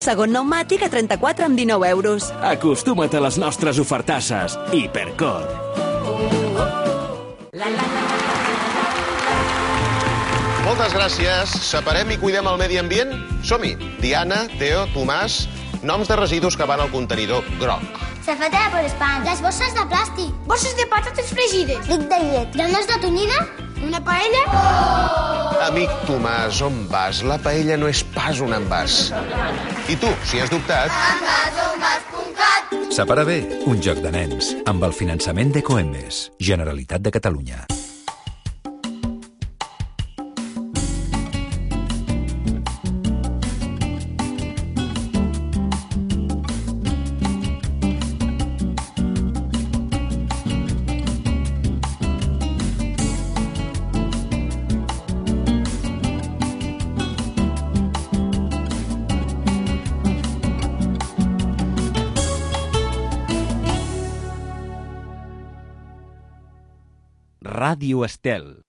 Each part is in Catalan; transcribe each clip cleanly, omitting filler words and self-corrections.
segon pneumàtic a 34,19 euros. Acostuma't a les nostres ofertasses. Hipercor. Moltes gràcies. Separem i cuidem el medi ambient? Som-hi. Diana, Teo, Tomàs... Noms de residus que van al contenidor groc. Safata de polespán. Les bosses de plàstic. Bosses de patates fregides. Lic de llet. Granes de tonyina. Una paella. Amic Tomàs, on vas? La paella no és pas un envàs. I tu, si has dubtat... envasenvàs.cat. Separa bé, un joc de nens, amb el finançament d'Ecoembes, Generalitat de Catalunya. Ràdio Estel.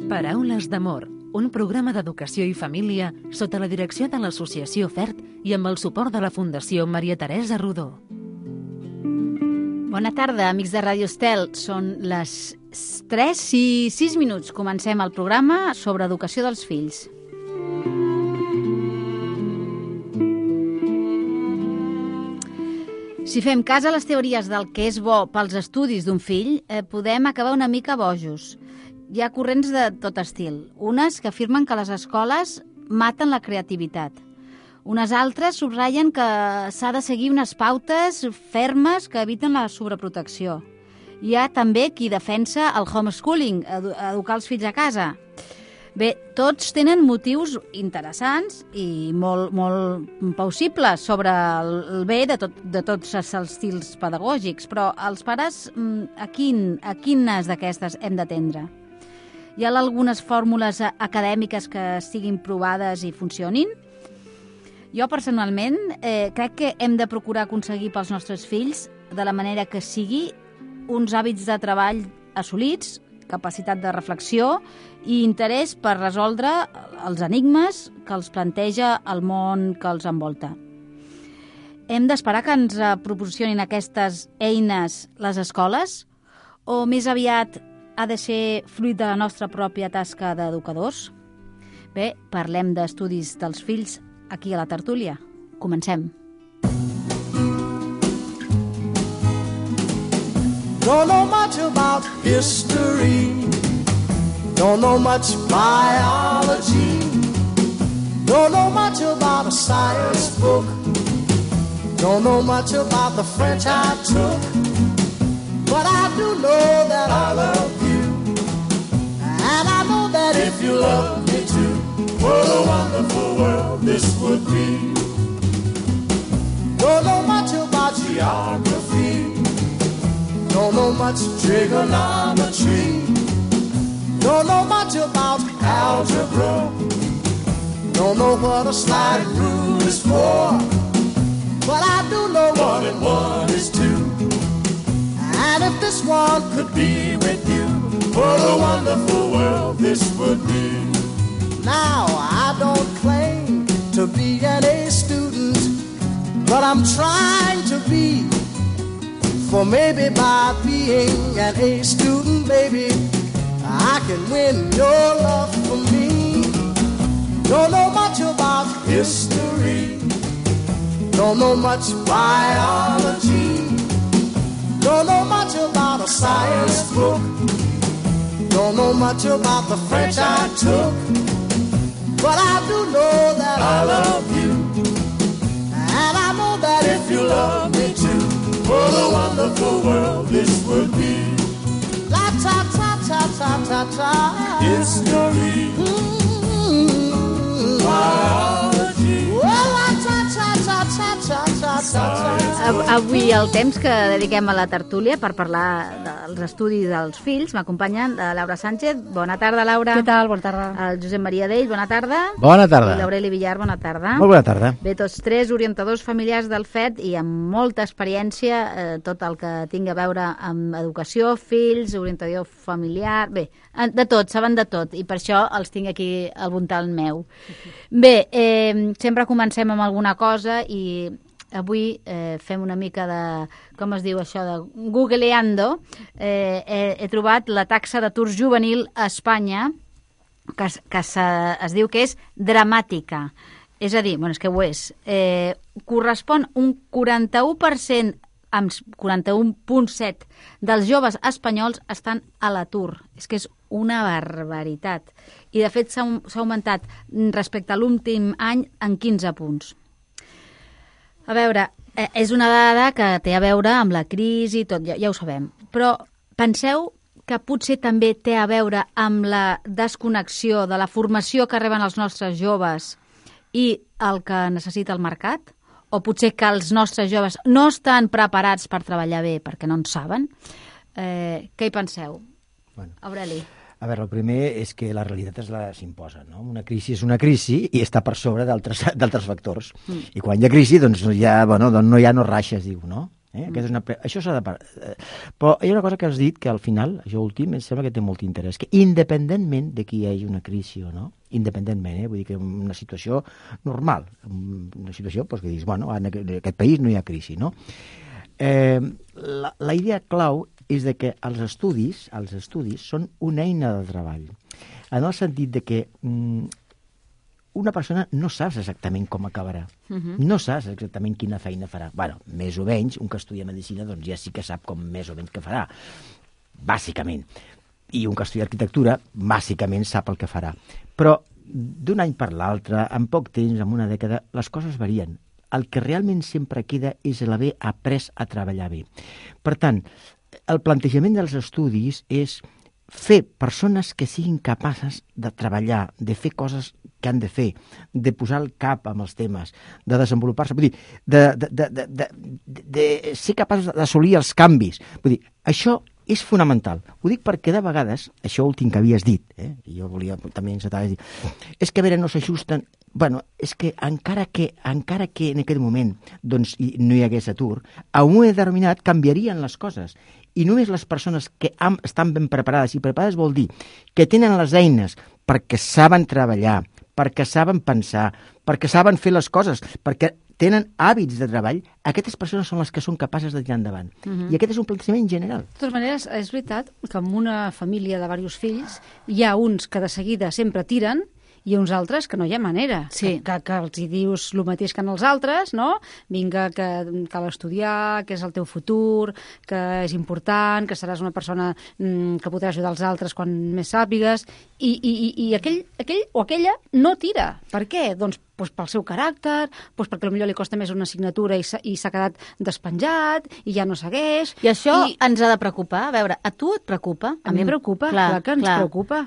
Paraules d'amor, un programa d'educació i família sota la direcció de l'Associació FERT i amb el suport de la Fundació Maria Teresa Rodó. Bona tarda, amics de Ràdio Estel. Són les 3 i 6 minuts. Comencem el programa sobre educació dels fills. Si fem cas a les teories del que és bo pels estudis d'un fill, podem acabar una mica bojos. Hi ha corrents de tot estil. Unes que afirmen que les escoles maten la creativitat. Unes altres subratllen que s'ha de seguir unes pautes fermes que eviten la sobreprotecció. Hi ha també qui defensa el homeschooling, educar els fills a casa. Bé, tots tenen motius interessants i molt plausibles sobre el bé de tots els estils pedagògics, però els pares a quines d'aquestes hem d'atendre? Hi ha algunes fórmules acadèmiques que estiguin provades i funcionin? Jo, personalment, crec que hem de procurar aconseguir pels nostres fills, de la manera que sigui, uns hàbits de treball assolits, capacitat de reflexió i interès per resoldre els enigmes que els planteja el món que els envolta. Hem d'esperar que ens proporcionin aquestes eines les escoles o més aviat ha de ser fruit de la nostra pròpia tasca d'educadors? Bé, parlem d'estudis dels fills aquí a la tertúlia. Comencem. Don't know much about history, don't know much biology, don't know much about a science book, don't know much about the French I took, but I do know that I love you, and I know that if you love me too, what a wonderful world this would be. Don't know much about geography, don't know much trigonometry, don't know much about algebra, don't know what a slide rule is for, but I do know 1 and 1 is 2. And if this one could be with you, what a wonderful world this would be. Now, I don't claim to be an A student, but I'm trying to be. For maybe by being an A student, baby, I can win your love for me. Don't know much about history, don't know much biology, don't know much about a science book, don't know much about the French I took, but I do know that I love you, and I know that if you love me too, what a wonderful world this would be. La ta ta ta ta ta ta. History. Biology. Well, la ta ta ta ta ta ta. Avui el temps que dediquem a la tertúlia per parlar dels estudis dels fills m'acompanyen Laura Sánchez. Bona tarda, Laura. Què tal? Bona tarda. El Josep Maria Dell, bona tarda. Bona tarda. I l'Aureli Villar, bona tarda. Molt bona tarda. Bé, tots tres orientadors familiars del FED i amb molta experiència, tot el que tingui a veure amb educació, fills, orientador familiar... Bé, de tot, saben de tot, i per això els tinc aquí al voltant meu. Bé, sempre comencem amb alguna cosa i avui fem una mica de, com es diu això, de googleando. He trobat la taxa d'atur juvenil a Espanya, que es diu que és dramàtica. És a dir, bueno, és que ho és. Correspon un 41%, amb 41,7% dels joves espanyols estan a l'atur. És que és una barbaritat. I, de fet, s'ha augmentat respecte a l'últim any en 15 punts. A veure, és una dada que té a veure amb la crisi i tot, ja ho sabem. Però penseu que potser també té a veure amb la desconnexió de la formació que reben els nostres joves i el que necessita el mercat? O potser que els nostres joves no estan preparats per treballar bé perquè no en saben? Què hi penseu? Bueno. Aureli. A veure, el primer és que la realitat s'imposa, no? Una crisi és una crisi i està per sobre d'altres factors. I quan hi ha crisi, doncs no hi ha no raixes, diu, no? Això s'ha de... Però hi ha una cosa que has dit que al final, això últim, em sembla que té molt interès, que independentment de que hi hagi una crisi o no, independentment, vull dir que una situació normal, una situació que dius, bueno, en aquest país no hi ha crisi, no? La idea clau és de que els estudis són una eina de treball, en el sentit de que una persona no saps exactament com acabarà, no saps exactament quina feina farà. Bueno, més o menys, un que estudia medicina doncs ja sí que sap com més o menys què farà, bàsicament. I un que estudia arquitectura, bàsicament sap el que farà. Però d'un any per l'altre, en poc temps, en una dècada, les coses varien. El que realment sempre queda és l'haver après a treballar bé. Per tant, el plantejament dels estudis és fer persones que siguin capaces de treballar, de fer coses que han de fer, de posar el cap amb els temes, de desenvolupar-se, vull dir, de ser capaços d'assolir els canvis. Vull dir, això és fonamental. Ho dic perquè de vegades, això últim que havies dit, i jo volia també encetar, és que a veure, no s'ajusten. Bueno, és que encara que en aquest moment doncs, no hi hagués atur, a un moment determinat canviarien les coses. I només les persones que estan ben preparades, i preparades vol dir que tenen les eines perquè saben treballar, perquè saben pensar, perquè saben fer les coses, perquè tenen hàbits de treball, aquestes persones són les que són capaces de tirar endavant. I aquest és un plantejament general. De totes maneres, és veritat que en una família de diversos fills hi ha uns que de seguida sempre tiren i uns altres que no hi ha manera, que els hi dius el mateix que als altres, no? Vinga, que cal estudiar, que és el teu futur, que és important, que seràs una persona que podrà ajudar els altres quan més sàpigues, i aquell o aquella no tira. Per què? Doncs pel seu caràcter, perquè potser li costa més una assignatura i s'ha quedat despenjat i ja no segueix. I això ens ha de preocupar. A veure, a tu et preocupa? A mi em preocupa, clar que ens preocupa.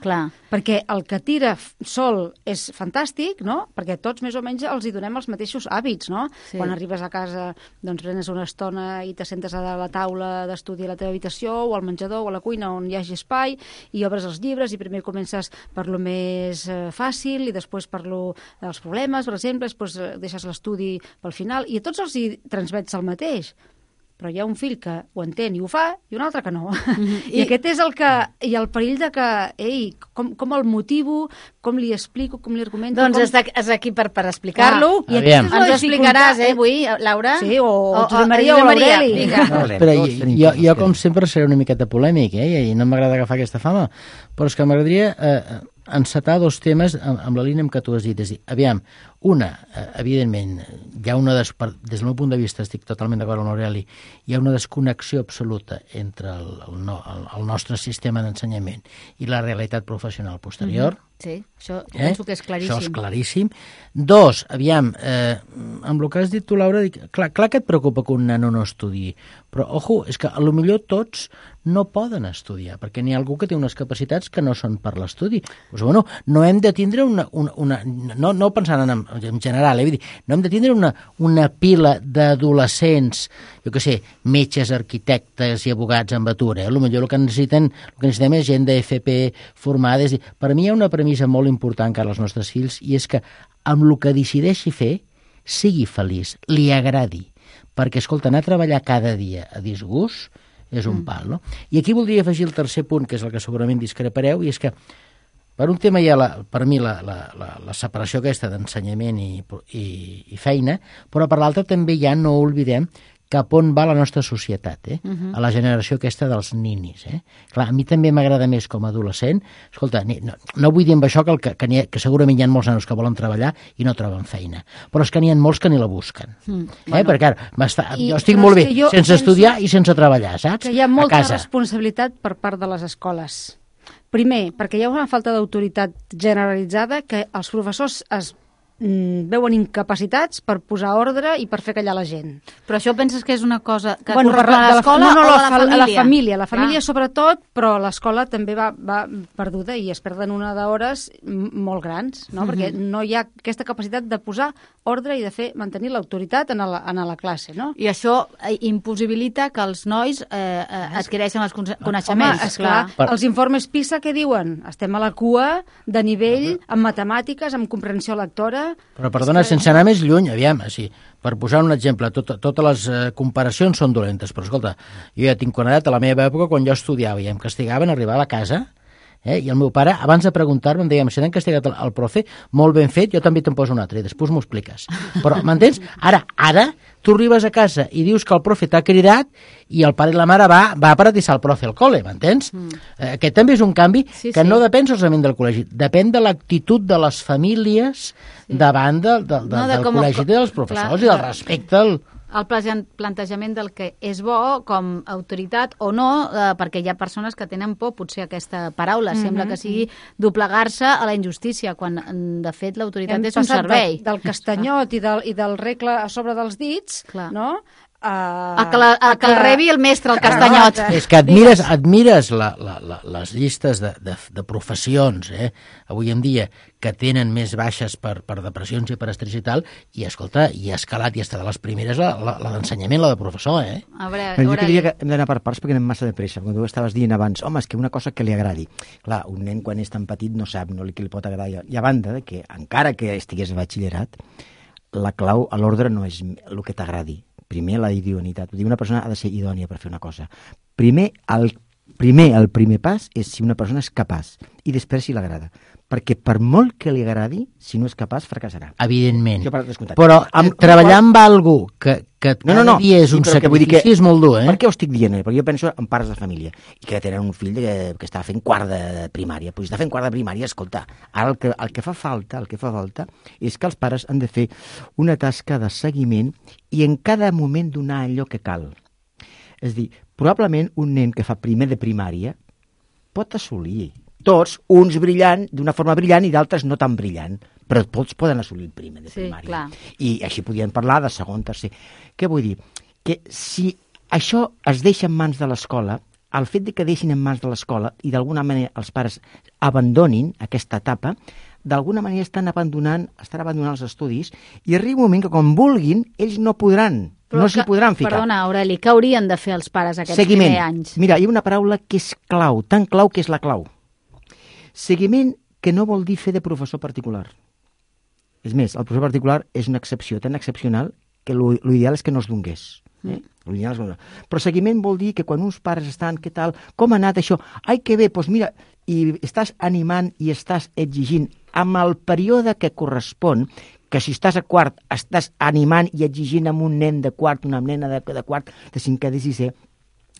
Perquè el que tira sol és fantàstic, no? Perquè tots més o menys els hi donem els mateixos hàbits, no? Sí. Quan arribes a casa, doncs prenes una estona i te sentes a la taula d'estudi a la teva habitació o al menjador o a la cuina on hi hagi espai i obres els llibres i primer comences per lo més fàcil i després per els problemes, per exemple, després deixes l'estudi pel final i a tots els hi transmets el mateix. Però hi ha un fill que ho entén i ho fa i un altre que no. I aquest és el perill de que, com el motivo, com li explico, com li argumento... Doncs és aquí per explicar-lo. I ens ho explicaràs, avui, Laura? Sí, o Josep Maria o l'Aureli. Jo, com sempre, seré una miqueta polèmic, i no m'agrada agafar aquesta fama, però és que m'agradaria encetar dos temes amb la línia amb què tu has dit. És dir, aviam, evidentment, hi ha des del meu punt de vista, estic totalment d'acord amb l'Aureli, hi ha una desconnexió absoluta entre el nostre sistema d'ensenyament i la realitat professional posterior, Sí, això penso que és claríssim. Això és claríssim. 2, aviam, amb el que has dit tu, Laura, clar que et preocupa que un nano no estudi, però, ojo, és que potser tots no poden estudiar, perquè n'hi ha algú que té unes capacitats que no són per l'estudi. Doncs, bueno, no hem de tindre no pensant en general, vull dir, no hem de tindre una pila d'adolescents, jo què sé, metges, arquitectes i abogats en atur, Potser el que necessitem és gent d'FP formada. Per mi hi ha una premissa molt important encara als nostres fills, i és que amb el que decideixi fer, sigui feliç, li agradi. Perquè, escolta, anar a treballar cada dia a disgust és un pal, no? I aquí voldria afegir el tercer punt, que és el que segurament discrepareu, i és que per un tema hi ha, per mi, la separació aquesta d'ensenyament i feina, però per l'altre també hi ha, no oblidem, cap on va la nostra societat, a la generació aquesta dels ninis. Clar, a mi també m'agrada més com a adolescent. Escolta, no vull dir amb això que segurament hi ha molts nanos que volen treballar i no troben feina, però és que n'hi ha molts que ni la busquen. Perquè jo estic molt bé sense estudiar i sense treballar, saps? Que hi ha molta responsabilitat per part de les escoles. Primer, perquè hi ha una falta d'autoritat generalitzada que els professors es veuen incapacitats per posar ordre i per fer callar la gent. Però això penses que és una cosa que correspon a l'escola o a la família? La família sobretot, però l'escola també va perduda i es perden una d'hores molt grans, no? Perquè no hi ha aquesta capacitat de posar ordre i de mantenir l'autoritat en la classe, no? I això impossibilita que els nois adquireixen els coneixements. Home, esclar, els informes PISA què diuen? Estem a la cua de nivell en matemàtiques, en comprensió lectora. Però, perdona, sense anar més lluny, aviam, per posar un exemple, totes les comparacions són dolentes, però escolta, jo ja tinc quan edat a la meva època, quan jo estudiava i em castigaven, arribava a casa, i el meu pare, abans de preguntar-me, em deia, si t'han castigat el profe, molt ben fet, jo també te'n poso un altre, i després m'ho expliques. Però, m'entens? Ara, tu arribes a casa i dius que el profe t'ha cridat i el pare i la mare va a paratissar el profe al col·le, m'entens? Aquest també és un canvi que no depèn solament del col·legi, depèn de l'actitud de les famílies davant del col·legi dels professors i del respecte el plantejament del que és bo com autoritat o no, perquè hi ha persones que tenen por, potser aquesta paraula, sembla que sigui doblegar-se a la injustícia, quan de fet l'autoritat és un servei. Del castanyot i del regle a sobre dels dits, no? Que el rebi el mestre, el castanyot. És que admires les llistes de professions, avui en dia, que tenen més baixes per depressions i per estrès i tal, i escolta, i ha escalat i està de les primeres la d'ensenyament, la de professor, Jo diria que hem d'anar per parts perquè anem massa de pressa. Quan tu estaves dient abans, home, és que una cosa que li agradi. Clar, un nen quan és tan petit no sap que li pot agradar. I a banda de que, encara que estigués a batxillerat, la clau a l'ordre no és el que t'agradi. Primer, la idoneïtat. Una persona ha de ser idònia per fer una cosa. El primer pas és si una persona és capaç i després si l'agrada. Perquè per molt que li agradi, si no és capaç, fracassarà. Evidentment. Però treballar amb algú que cada dia és un sacrifici és molt dur, Per què ho estic dient? Perquè jo penso en pares de família i que tenen un fill que està fent quart de primària. Pues està fent quart de primària, escolta, ara el que fa falta és que els pares han de fer una tasca de seguiment i en cada moment donar allò que cal. És a dir, probablement un nen que fa primer de primària pot assolir tots, uns brillant d'una forma brillant i d'altres no tan brillant, però tots poden assolir el primer de primària. Clar. I així podien parlar de segon, tercer. Què vull dir? Que si això es deixa en mans de l'escola, el fet de que deixin en mans de l'escola i d'alguna manera els pares abandonin aquesta etapa, d'alguna manera estan abandonant els estudis i arriba un moment que quan vulguin ells no s'hi podran ficar. Perdona, Aureli, què haurien de fer els pares aquests primers anys? Mira, hi ha una paraula que és clau, tan clau que és la clau. Seguiment, que no vol dir fer de professor particular. És més, el professor particular és una excepció tan excepcional que l'ideal és que no es donés. Però seguiment vol dir que quan uns pares estan, què tal, com ha anat això? Ai, que bé, doncs mira, i estàs animant i estàs exigint amb el període que correspon, que si estàs a quart estàs animant i exigint amb un nen de quart, una nena de quart, de cinquè, de sisè,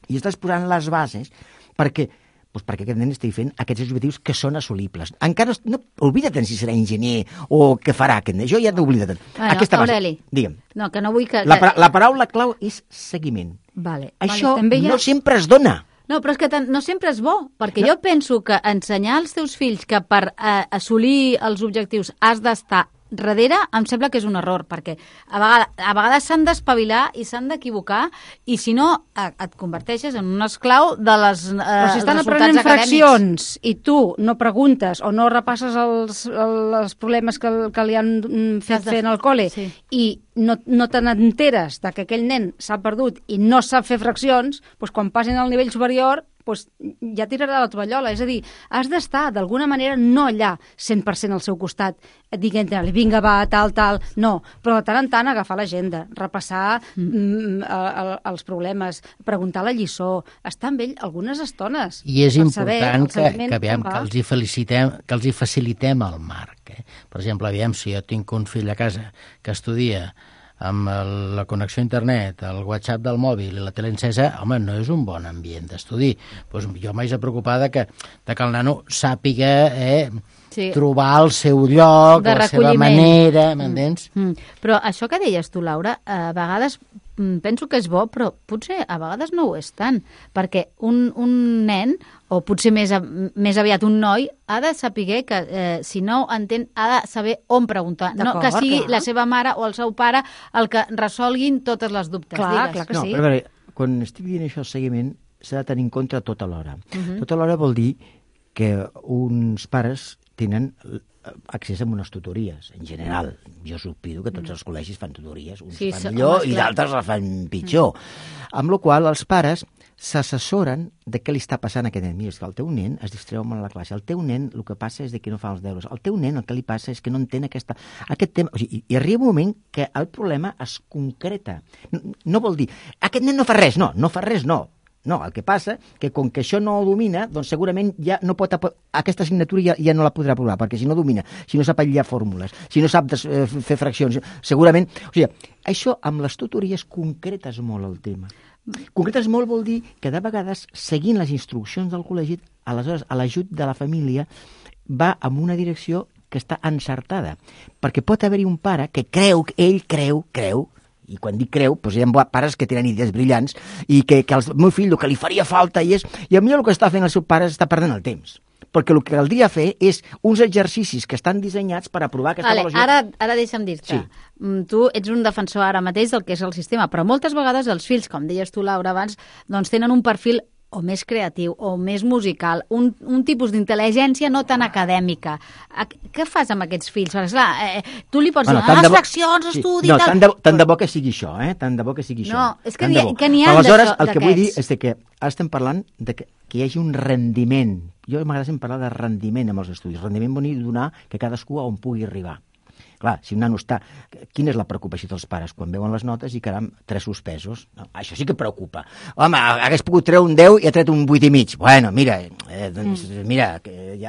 i estàs posant les bases perquè aquest nen estigui fent aquests objectius que són assolibles. Encara no oblida't si serà enginyer o què farà aquest nen. Jo ja t'ho oblida't. Aureli, digue'm. No, que no vull que... La paraula clau és seguiment. Vale. Això no sempre es dona. No, però és que no sempre és bo, perquè jo penso que ensenyar als teus fills que per assolir els objectius has d'estar darrere, em sembla que és un error, perquè a vegades s'han d'espavilar i s'han d'equivocar, i si no, et converteixes en un esclau de les però si estan resultats aprenent acadèmics. fraccions i tu no preguntes o no repasses els problemes que li han fet fer en el col·le i no te n'enteres que aquell nen s'ha perdut i no sap fer fraccions, doncs quan passin al nivell superior doncs ja tirarà la tovallola. És a dir, has d'estar d'alguna manera no allà 100% al seu costat, dient-li vinga va, tal, no, però de tant en tant agafar l'agenda, repassar els problemes, preguntar la lliçó, estar amb ell algunes estones. I és important que els hi facilitem el marc. Per exemple, aviam, si jo tinc un fill a casa que estudia amb la connexió a internet, el WhatsApp del mòbil i la tele encesa, home, no és un bon ambient d'estudi. Pues jo m'haig de preocupar de que el nano sàpiga trobar el seu lloc, la seva manera, m'entens? Però això que deies tu, Laura, a vegades penso que és bo, però potser a vegades no ho és tant, perquè un nen, o potser més aviat un noi, ha de saber que, si no ho entén, ha de saber on preguntar. No que sigui la seva mare o el seu pare el que resolguin totes les dubtes. Clar que sí. Però a veure, quan estic dient això, el seguiment s'ha de tenir en compte tota l'hora. Tota l'hora vol dir que uns pares tenen accés a unes tutories, en general. Jo sospido que tots els col·legis fan tutories, uns fan millor i d'altres la fan pitjor. Amb la qual cosa els pares s'assessoren de què li està passant a aquest nen. Mira, és que el teu nen es distreu molt a la classe. El teu nen el que passa és que no fa els deures. El teu nen el que li passa és que no entén aquest tema. O sigui, i arriba un moment que el problema es concreta. No vol dir, aquest nen no fa res. No fa res, no. No, el que passa que com que això no ho domina, doncs segurament ja no pot aquesta assignatura ja no la podrà aprovar, perquè si no domina, si no sap aïllar fórmules, si no sap fer fraccions, segurament... O sigui, això amb les tutories concretes molt el tema. Concretes molt vol dir que de vegades, seguint les instruccions del col·legi, aleshores l'ajut de la família va en una direcció que està encertada, perquè pot haver-hi un pare que ell creu, i quan dic creu, doncs hi ha pares que tenen idees brillants i que el meu fill el que li faria falta i a mi el que està fent el seu pare és estar perdent el temps. Perquè el que caldria fer és uns exercicis que estan dissenyats per aprovar aquesta avaluació. Ara deixa'm dir-te. Tu ets un defensor ara mateix del que és el sistema, però moltes vegades els fills, com deies tu, Laura, abans, doncs tenen un perfil o més creatiu, o més musical, un tipus d'intel·ligència no tan acadèmica. Què fas amb aquests fills? Perquè, clar, tu li pots dir, les fraccions, estudi... No, tant de bo que sigui això, tant de bo que sigui això. No, és que n'hi ha d'aquests. Aleshores, el que vull dir és que ara estem parlant de que hi hagi un rendiment. Jo m'agrada sempre parlar de rendiment amb els estudis. Rendiment vol dir donar que cadascú on pugui arribar. Clar, si un nano està... Quina és la preocupació dels pares? Quan veuen les notes i, caram, 3 suspesos. No, això sí que preocupa. Home, hagués pogut treure un 10 i ha tret un 8,5. Bueno, mira,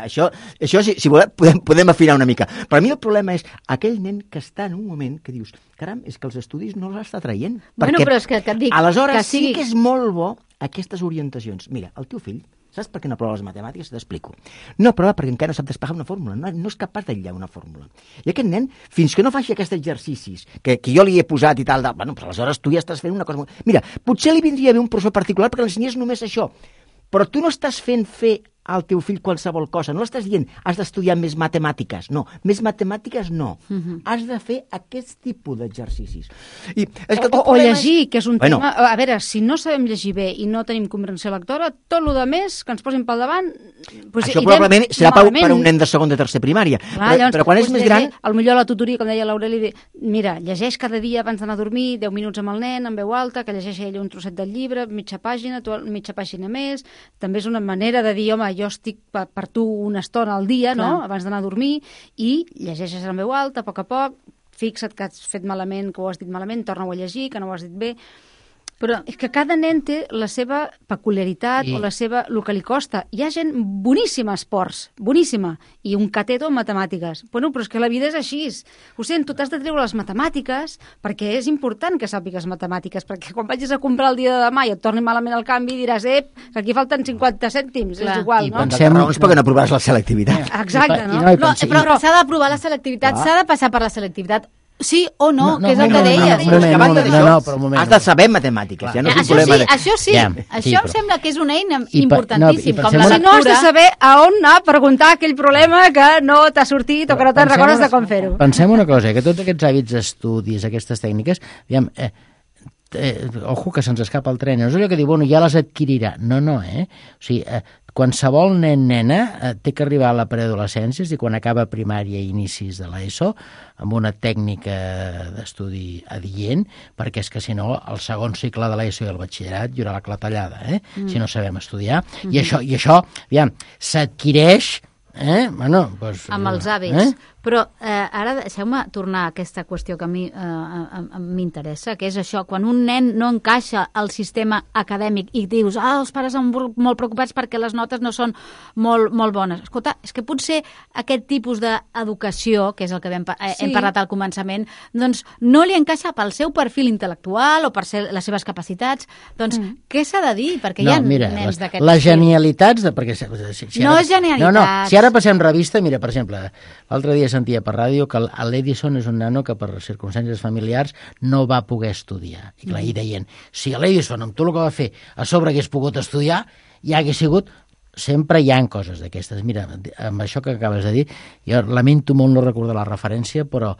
això si volem, podem afinar una mica. Però a mi el problema és aquell nen que està en un moment que dius, caram, és que els estudis no els està traient. Bueno, però és que et dic... Aleshores sí que és molt bo aquestes orientacions. Mira, el teu fill, saps per què no aprova les matemàtiques? T'explico. No aprova perquè encara no sap despejar una fórmula, no és capaç d'aïllar una fórmula. I aquest nen, fins que no faci aquests exercicis que jo li he posat i tal, bueno, però aleshores tu ja estàs fent una cosa... Mira, potser li vindria bé un professor particular perquè l'ensenyés només això, però tu no estàs fent fer al teu fill qualsevol cosa, no l'estàs dient has d'estudiar més matemàtiques, no, més matemàtiques no, has de fer aquest tipus d'exercicis. O llegir, que és un tema... A veure, si no sabem llegir bé i no tenim comprensió lectora, tot el més que ens posin pel davant... Això probablement serà per un nen de segon de tercer primària, però quan és més gran... Potser la tutoria, com deia l'Aureli, mira, llegeix cada dia abans d'anar a dormir 10 minuts amb el nen, en veu alta, que llegeixi ell un trosset del llibre, mitja pàgina, tu mitja pàgina més. També és una manera de dir, home, jo estic per tu una estona al dia, no?, abans d'anar a dormir, i llegeixes en veu alta, a poc, fixa't que has fet malament, que ho has dit malament, torna-ho a llegir, que no ho has dit bé. Però és que cada nen té la seva peculiaritat o el que li costa. Hi ha gent boníssima a esports, boníssima, i un cateto en matemàtiques. Bueno, però és que la vida és així. Ho sento, t'has de treure les matemàtiques perquè és important que sàpigues matemàtiques, perquè quan vagis a comprar el dia de demà i et torni malament el canvi diràs, que aquí falten 50 cèntims, és igual, no? I raons perquè no aprovaràs la selectivitat. Exacte, no? Però s'ha d'aprovar la selectivitat, s'ha de passar per la selectivitat. Sí o no, que és el que deies. Però un moment. Has de saber matemàtiques, ja no és un problema. Això sí, això em sembla que és una eina importantíssima. Si no has de saber a on anar a preguntar aquell problema que no t'ha sortit o que no te'n recordes de com fer-ho. Pensem una cosa, que tots aquests hàbits d'estudis, aquestes tècniques, aviam, ojo que se'ns escapa el tren, no és allò que diu, bueno, ja les adquirirà. No, o sigui, qualsevol nena té que arribar a la preadolescència, és a dir, quan acaba primària i inicis de l'ESO, amb una tècnica d'estudi adient, perquè és que si no, el segon cicle de l'ESO i el batxillerat hi haurà la clatellada, si no sabem estudiar. I això, aviam, s'adquireix amb els hàbits. Però ara deixeu-me tornar a aquesta qüestió que a mi m'interessa, que és això, quan un nen no encaixa al sistema acadèmic i dius, els pares estan molt preocupats perquè les notes no són molt bones. Escolta, és que potser aquest tipus d'educació, que és el que hem parlat al començament, doncs no li encaixa pel seu perfil intel·lectual o per les seves capacitats. Doncs què s'ha de dir? Perquè hi ha nens d'aquest les genialitats... No és genialitats. No, si ara passem revista, mira, per exemple, l'altre dia sentia per ràdio que l'Edison és un nano que per circumstàncies familiars no va poder estudiar. I clar, hi deien, si l'Edison amb tot el que va fer a sobre hagués pogut estudiar, ja hagués sigut... Sempre hi ha coses d'aquestes. Mira, amb això que acabes de dir, jo lamento molt no recordar la referència, però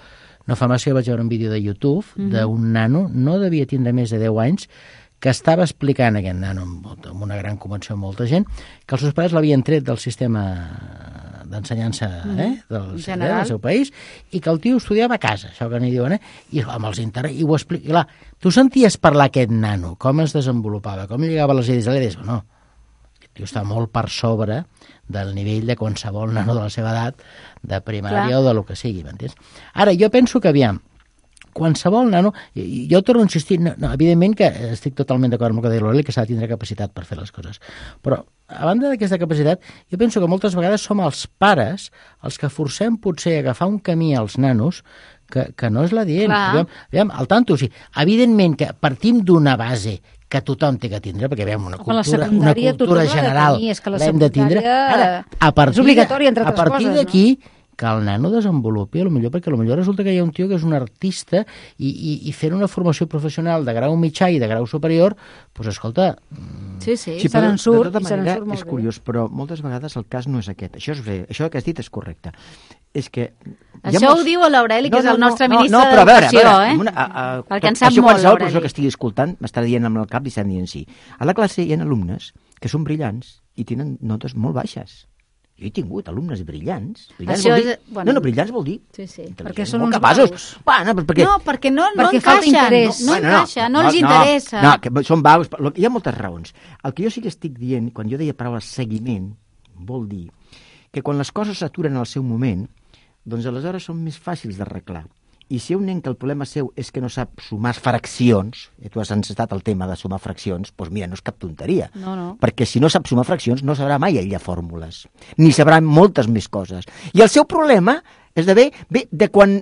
no fa massa que vaig veure un vídeo de YouTube d'un nano, no devia tindre més de 10 anys, que estava explicant aquest nano amb una gran convenció amb molta gent, que els seus pares l'havien tret del sistema d'ensenyança del seu país i que el tio estudiava a casa, això que n'hi diuen, i amb els i ho explica. Clar, tu senties parlar aquest nano, com es desenvolupava, com lligava les idees a l'EDES, no, aquest tio està molt per sobre del nivell de qualsevol nano de la seva edat, de primària o de lo que sigui, m'entens? Ara, jo penso que, aviam, qualsevol nano, jo torno a insistir, evidentment que estic totalment d'acord amb el que deia l'Aureli, que s'ha de tindre capacitat per fer les coses, però a banda d'aquesta capacitat, jo penso que moltes vegades som els pares els que forcem potser a agafar un camí als nanos que no és l'adient. Aviam, al tanto, o sigui, evidentment que partim d'una base que tothom té que tindre, perquè veiem una cultura general l'hem de tindre. Ara, a partir d'aquí, que el nano desenvolupi, potser perquè potser resulta que hi ha un tio que és un artista i fent una formació professional de grau mitjà i de grau superior, doncs escolta... Sí, se'n surt. De tota manera, és curiós, però moltes vegades el cas no és aquest. Això que has dit és correcte. És que... Això ho diu l'Aureli, que és el nostre ministre d'Educació, perquè en sap molt, l'Aureli. Qualsevol professor que estigui escoltant m'estarà dient amb el cap i estan dient sí. A la classe hi ha alumnes que són brillants i tenen notes molt baixes. Jo he tingut alumnes brillants. Brillants vol dir... Sí, perquè són uns vaus. No, perquè no encaixen. No encaixa, no els interessa. No, que són vaus. Hi ha moltes raons. El que jo sí que estic dient, quan jo deia paraula seguiment, vol dir que quan les coses s'aturen al seu moment, doncs aleshores són més fàcils d'arreglar. I si hi ha un nen que el problema seu és que no sap sumar fraccions, tu has encetat el tema de sumar fraccions, doncs mira, no és cap tonteria. No. Perquè si no sap sumar fraccions no sabrà mai aïllar fórmules, ni sabrà moltes més coses. I el seu problema és de quan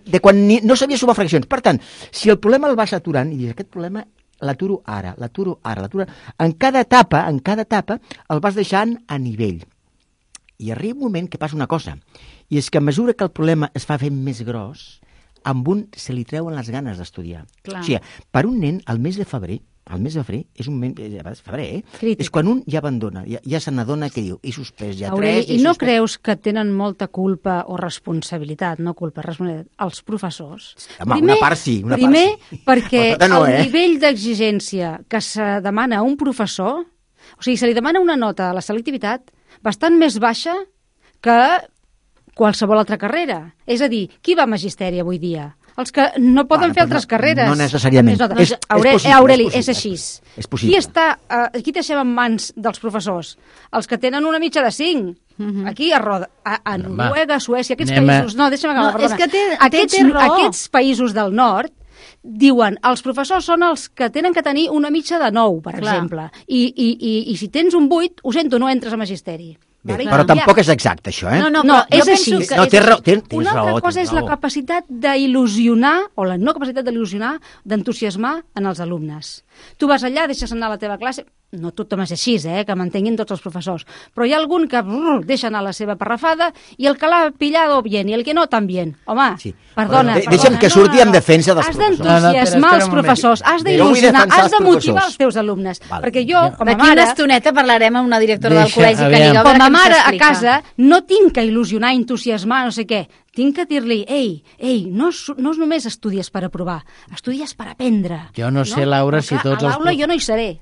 no sabia sumar fraccions. Per tant, si el problema el vas aturant, i dius, aquest problema l'aturo ara. En cada etapa el vas deixant a nivell. I arriba un moment que passa una cosa, i és que a mesura que el problema es fa fent més gros, amb un se li treuen les ganes d'estudiar. O sigui, per un nen, el mes de febrer és un moment, és quan un ja abandona, ja se n'adona que diu, he suspès ja Aureli, i no creus que tenen molta culpa o responsabilitat, els professors? Home, una part sí. Primer, perquè el nivell d'exigència que se demana a un professor, o sigui, se li demana una nota a la selectivitat bastant més baixa que qualsevol altra carrera. És a dir, qui va a magisteri avui dia? Els que no poden fer altres carreres. No necessàriament. Aureli, és així. És possible. Qui deixem en mans dels professors? Els que tenen una mitja de 5. Aquí a Noruega, Suècia, aquests països... No, deixa'm acabar, perdona. Aquests països del nord diuen, els professors són els que tenen que tenir una mitja de 9, per exemple. I si tens un 8, ho sento, no entres a magisteri. Bé, però tampoc és exacte, això, eh? No, és així. No, tens raó. Una altra cosa és la capacitat d'il·lusionar, o la no capacitat d'il·lusionar, d'entusiasmar en els alumnes. Tu vas allà, deixes anar a la teva classe, no tothom és així, que m'entenguin tots els professors, però hi ha algun que deixa anar la seva parrafada i el que l'ha pillado bien i el que no también. Home, perdona. Deixa'm que surti en defensa dels professors. Has d'entusiasmar els professors, has d'il·lusionar, has de motivar els teus alumnes. Perquè jo, com a mare... D'aquí una estoneta parlarem amb una directora del col·legi que diga... Com a mare a casa no tinc que il·lusionar, entusiasmar, no sé què. Tinc que dir-li, ei, no només estudies per aprovar, estudies per aprendre. Jo no sé, Laura, si tots els... A l'aula jo no hi seré.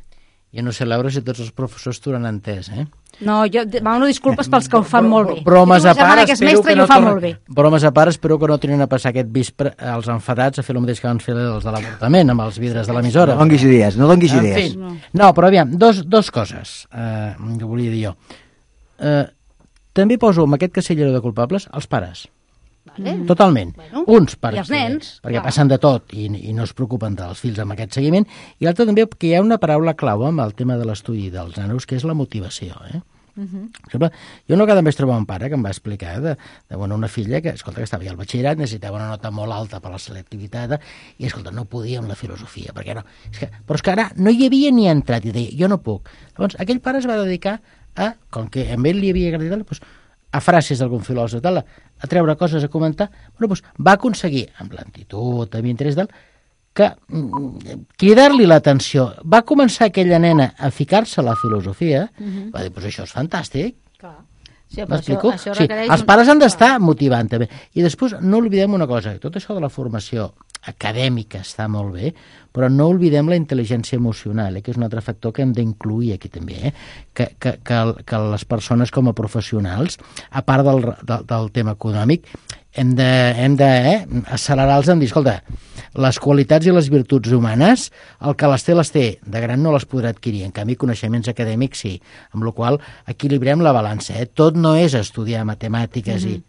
Jo no sé, Laura, si tots els professors t'ho han entès, eh? No, jo demano disculpes pels que ho fan molt bé. Bromes a part, espero que no tornin a passar aquest vespre als enfadats a fer el mateix que van fer els de l'avortament amb els vidres de l'emissora. No donguis idees. No, però aviam, dos coses que volia dir jo. També poso amb aquest casellero de culpables els pares. Totalment. Uns perquè passen de tot i no es preocupen dels fills amb aquest seguiment, i l'altre també que hi ha una paraula clau amb el tema de l'estudi dels nanos, que és la motivació. Per exemple, jo una vegada em vaig trobar un pare que em va explicar de una filla que estava ja al batxillerat, necessitava una nota molt alta per la selectivitat i, escolta, no podia amb la filosofia, perquè no. Però és que ara no hi havia ni entrat i deia, jo no puc. Llavors, aquell pare es va dedicar com que a ell li havia agradat, a frases d'algun filòsof, a treure coses a comentar, va aconseguir, amb lentitud, amb interès que cridar-li l'atenció. Va començar aquella nena a ficar-se a la filosofia, va dir, això és fantàstic. M'explico? Els pares han d'estar motivant també. I després no oblidem una cosa, tot això de la formació acadèmica està molt bé, però no oblidem la intel·ligència emocional, que és un altre factor que hem d'incluir aquí també, que les persones com a professionals, a part del tema econòmic, hem d'accelerar-los en dir, escolta, les qualitats i les virtuts humanes, el que les té, de gran no les podrà adquirir, en canvi coneixements acadèmics sí, amb la qual cosa equilibrem la balança, tot no és estudiar matemàtiques i...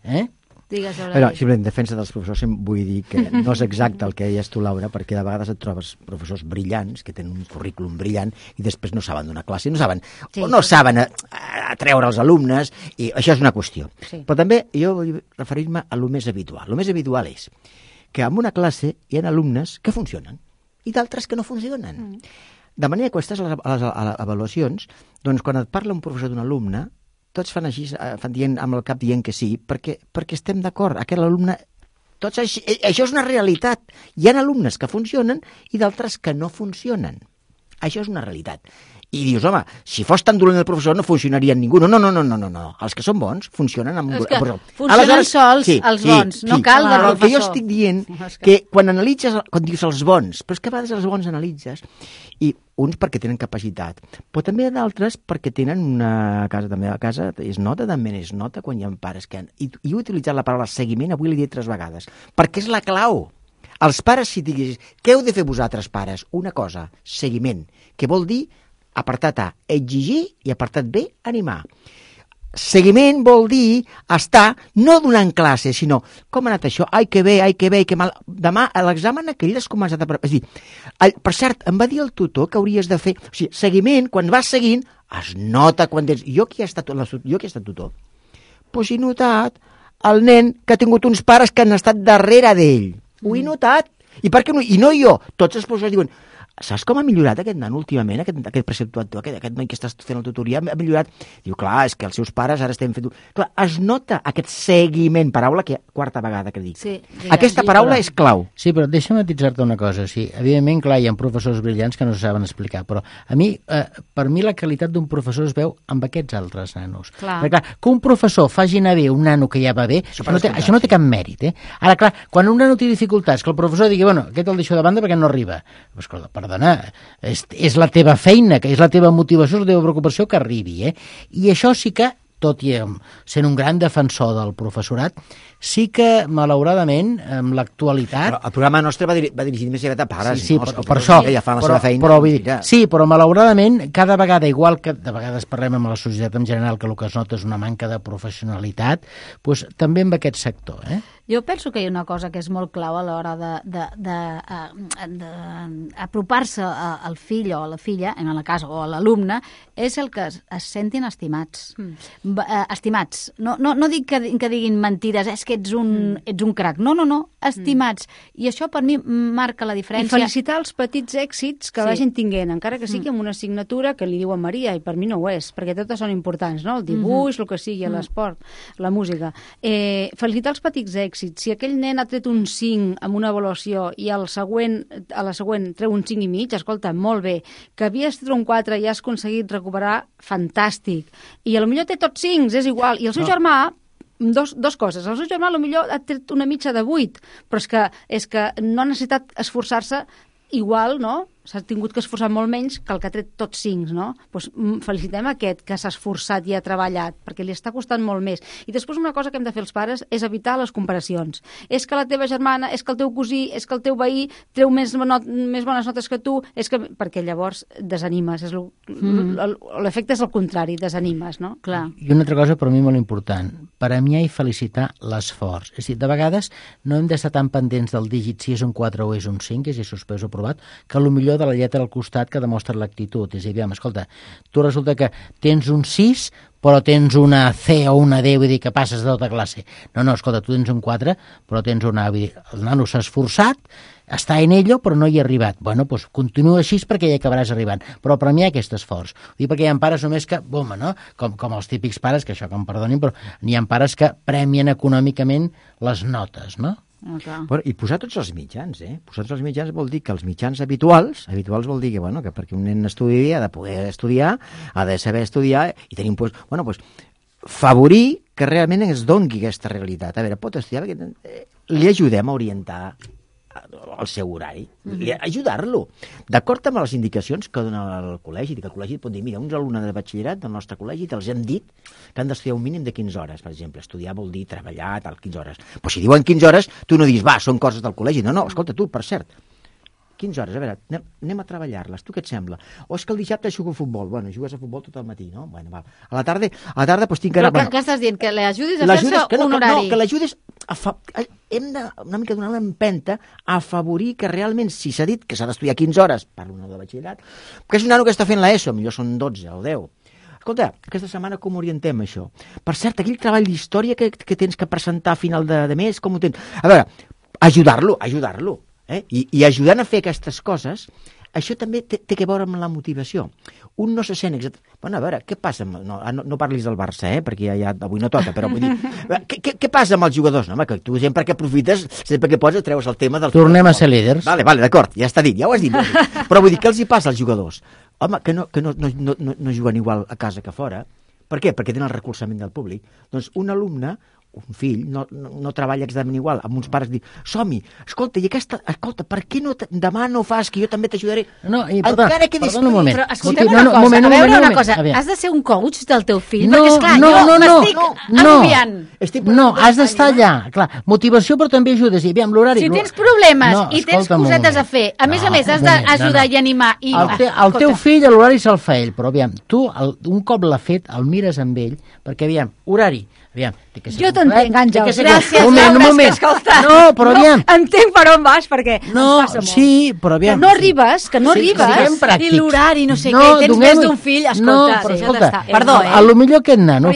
Simplement, en defensa dels professors vull dir que no és exacte el que deies tu, Laura, perquè de vegades et trobes professors brillants que tenen un currículum brillant i després no saben donar classe, no saben atreure els alumnes, i això és una qüestió. Però també jo vull referir-me a lo més habitual. Lo més habitual és que en una classe hi ha alumnes que funcionen i d'altres que no funcionen. De manera que aquestes les avaluacions, doncs quan et parla un professor d'un alumne, tots fan així, amb el cap dient que sí, perquè estem d'acord. Aquest alumne, això és una realitat. Hi ha alumnes que funcionen i d'altres que no funcionen. Això és una realitat. I dius, home, si fos tan dolent el professor no funcionaria ningú. No. Els que són bons funcionen amb... Funcionen sols els bons, no cal de professor. El que jo estic dient, que quan analitzes, quan dius els bons, però és que a vegades els bons analitzes, i uns perquè tenen capacitat, però també d'altres perquè tenen una casa, també a casa es nota quan hi ha pares que han... I he utilitzat la paraula seguiment, avui l'he dit 3 vegades, perquè és la clau. Els pares, si diguis, què heu de fer vosaltres, pares? Una cosa, seguiment, que vol dir apartat A, exigir, i apartat B, animar. Seguiment vol dir estar no donant classe, sinó com ha anat això? Ai, que bé, que mal. Demà, a l'examen aquell has començat a... És dir, per cert, em va dir el tutor que hauries de fer... O sigui, seguiment, quan vas seguint, es nota quan tens... Jo qui he estat tutor, doncs he notat el nen que ha tingut uns pares que han estat darrere d'ell. Ho he notat. I per què no? I no jo. Tots els professors diuen... Saps com ha millorat aquest nen últimament, aquest preceptuador, aquest noi que estàs fent la tutoria, ha millorat? Diu, clar, és que els seus pares ara estem fent... Clar, es nota aquest seguiment, paraula que quarta vegada que dic. Aquesta paraula és clau. Sí, però deixa'm matitzar-te una cosa. Sí, evidentment, clar, hi ha professors brillants que no saben explicar, però a mi, per mi la qualitat d'un professor es veu amb aquests altres nanos. Perquè, clar, que un professor faci anar bé un nano que ja va bé, això no té cap mèrit, Ara, clar, quan un nano té dificultats, que el professor digui, bueno, aquest el deixo de banda perquè no arriba. Escolta, perdona, és la teva feina, que és la teva motivació, la teva preocupació que arribi, I això sí que, tot i sent un gran defensor del professorat, sí que, malauradament, amb l'actualitat... El programa nostre va dirigit més a pares. Sí, per això. Ja fan la seva feina. Sí, però malauradament, cada vegada, igual que de vegades parlem amb la societat en general, que el que es nota és una manca de professionalitat, doncs també amb aquest sector, Jo penso que hi ha una cosa que és molt clau a l'hora d'apropar-se al fill o a la filla, en el cas, o a l'alumne, és el que es sentin estimats. Estimats. No dic que diguin mentides, és que ets un crac. No, estimats. I això per mi marca la diferència. I felicitar els petits èxits que vagin tinguent, encara que sigui amb una assignatura que li diuen Maria, i per mi no ho és, perquè totes són importants, no? El dibuix, el que sigui, l'esport, la música. Felicitar els petits èxits. Si aquell nen ha tret un 5 amb una avaluació i a la següent treu un 5,5, escolta, molt bé. Que havies tret un 4 i has aconseguit recuperar, fantàstic. I potser té tots 5, és igual. I el seu germà, dos coses. El seu germà potser ha tret una mitja de 8, però és que no ha necessitat esforçar-se igual, no? S'ha tingut que esforçar molt menys que el que ha tret tots 5, no? Doncs felicitem aquest que s'ha esforçat i ha treballat, perquè li està costant molt més. I després una cosa que hem de fer els pares és evitar les comparacions. És que la teva germana, és que el teu cosí, és que el teu veí treu més bones notes que tu, perquè llavors desanimes. L'efecte és el contrari, desanimes, no? Clar. I una altra cosa per mi molt important, premiar i felicitar l'esforç. És a dir, de vegades no hem d'estar tan pendents del dígit si és un 4 o és un 5, és suspès o aprovat, que potser de la lletra al costat que demostra l'actitud. És a dir, escolta, tu resulta que tens un 6 però tens una C o una D, vull dir que passes de tota classe. No, escolta, tu tens un 4 però tens una A, vull dir, el nano s'ha esforçat, està en ello però no hi ha arribat. Bueno, doncs continua així perquè hi acabaràs arribant, però premiar aquest esforç. Ho dic perquè hi ha pares només que, no? Com els típics pares, que això que em perdonin, però n'hi ha pares que premien econòmicament les notes, no? Bueno, i posar tots els mitjans, Posar tots els mitjans vol dir que els mitjans habituals vol dir que perquè un nen estudi ha de poder estudiar, ha de saber estudiar i tenim, favorir que realment es doni aquesta realitat. A veure, pot estudiar, li ajudem a orientar el seu horari, ajudar-lo, d'acord amb les indicacions que dona el col·legi, que el col·legi pot dir, mira, uns alumnes de batxillerat del nostre col·legi els hem dit que han d'estudiar un mínim de 15 hores, per exemple, estudiar vol dir treballar, 15 hores. Però si diuen 15 hores, tu no dius, són coses del col·legi, no, escolta tu, per cert, 15 hores, a veure, anem a treballar-les, tu què et sembla? O és que el dissabte jugo a futbol, jugues a futbol tot el matí, no? Bueno, va. A la tarda doncs tinc que anar... Però què estàs dient? Que l'ajudis a fer-se un horari? No, que l'ajudis hem de una mica donar una empenta a afavorir que realment, si s'ha dit que s'ha d'estudiar 15 hores, parlo de batxillerat, que és un nano que està fent l'ESO, millor són 12 o 10. Escolta, aquesta setmana com orientem això? Per cert, aquell treball d'història que tens que presentar a final de mes, com ho tens? A veure, ajudar-lo. I ajudant a fer aquestes coses, això també té que veure amb la motivació. Un no se sent Bueno, a veure, què passa? No parlis del Barça, perquè ja avui no toca, però vull dir... Què passa amb els jugadors? No, home, que tu sempre que aprofites, sempre que pots, treus el tema del... Tornem a ser líders. Vale, d'acord, ja està dit, ja ho has dit. Però vull dir, què els hi passa als jugadors? Home, que no juguen igual a casa que fora. Per què? Perquè tenen el recolzament del públic. Doncs un alumne, un fill, no treballa exactament igual, amb uns pares dir, som-hi, escolta, per què demà no fas, que jo també t'ajudaré? Encara que perdona un moment. Però escolta'm una cosa, has de ser un coach del teu fill? No, perquè, esclar, jo m'estic agobiant. No, has d'estar allà, clar, motivació però també ajudes, i aviam l'horari... Si tens problemes i tens cosetes a fer, a més has d'ajudar i animar... El teu fill l'horari se'l fa ell, però aviam, tu un cop l'ha fet, el mires amb ell, perquè aviam, horari, aviam... Jo t'entenc, Àngels. Gràcies, un moment. No, però aviam. Entenc per on vas, perquè ens passa molt. Sí, però aviam. Que no arribes. I l'horari, no sé què, tens més d'un fill, escolta. Perdó, potser aquest nano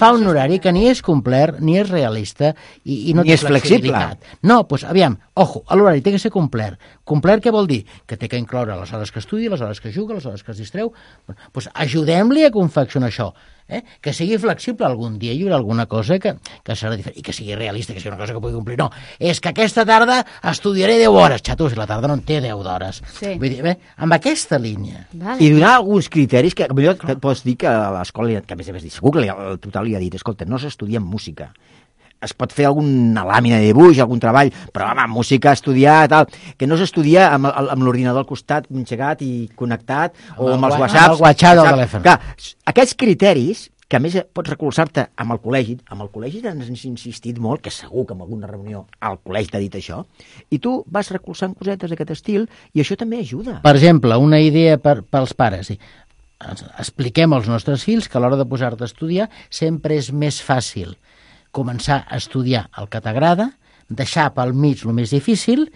fa un horari que ni és complet, ni és realista, i no té flexibilitat. No, doncs aviam, ojo, l'horari té que ser complet. Complet què vol dir? Que té que incloure les hores que estudia, les hores que juga, les hores que es distreu. Doncs ajudem-li a confeccionar això. Que sigui flexible, algun dia hi haurà alguna cosa que serà diferent, i que sigui realista, que sigui una cosa que pugui complir. No, és que aquesta tarda estudiaré 10 hores. Xato, si la tarda no en té 10 d'hores. Vull dir, amb aquesta línia. I donar alguns criteris que potser pots dir que a l'escola, que a més segur que el total li ha dit, escolta, no s'estudia en música. Es pot fer alguna làmina de dibuix, algun treball, però home, música, estudiar, tal, que no s'estudia amb l'ordinador al costat engegat i connectat, o amb els whatsapps. Amb el WhatsApp del telèfon. Clar, aquests criteris, que a més pots recolzar-te amb el col·legi ens has insistit molt, que segur que en alguna reunió el col·legi t'ha dit això, i tu vas recolzant cosetes d'aquest estil, i això també ajuda. Per exemple, una idea pels pares, expliquem als nostres fills que a l'hora de posar-te a estudiar sempre és més fàcil començar a estudiar el que t'agrada, deixar pel mig el més difícil,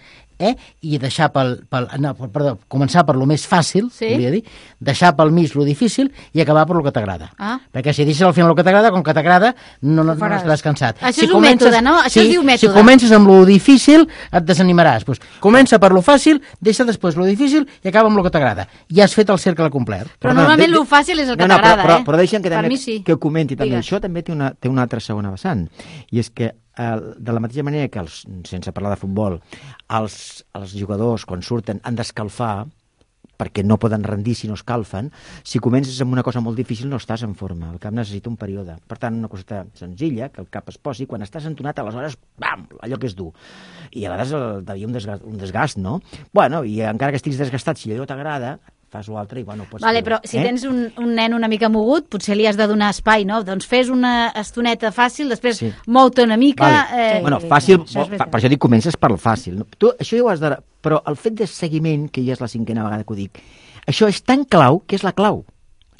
i deixar començar per lo més fàcil, volia dir, deixar pel mig lo difícil i acabar per lo que t'agrada. Perquè si deixes al final el que t'agrada, com que t'agrada, no estaràs cansat. Això és un mètode, no? Això es diu mètode. Si comences amb lo difícil, et desanimaràs. Pues, comença per lo fàcil, deixa després lo difícil i acaba amb lo que t'agrada. Ja has fet el cercle complet. Però normalment lo fàcil és el que t'agrada, Però deixa'm que ho comenti també. Això també té una altra segona vessant. I és que de la mateixa manera que, sense parlar de futbol, els jugadors, quan surten, han d'escalfar perquè no poden rendir si no escalfen. Si comences amb una cosa molt difícil no estàs en forma, el cap necessita un període. Per tant, una coseta senzilla, que el cap es posi, quan estàs entonat, aleshores, bam, allò que és dur. I a vegades devia un desgast, no? Bueno, i encara que estiguis desgastat, si allò t'agrada, fas l'altre i, bueno, pots... Vale, però si tens un nen una mica mogut, potser li has de donar espai, no? Doncs fes una estoneta fàcil, després mou-te una mica... Bueno, fàcil, per això dic, comences per el fàcil. Tu, això ja ho has de... Però el fet de seguiment, que ja és la 5a vegada que ho dic, això és tan clau que és la clau.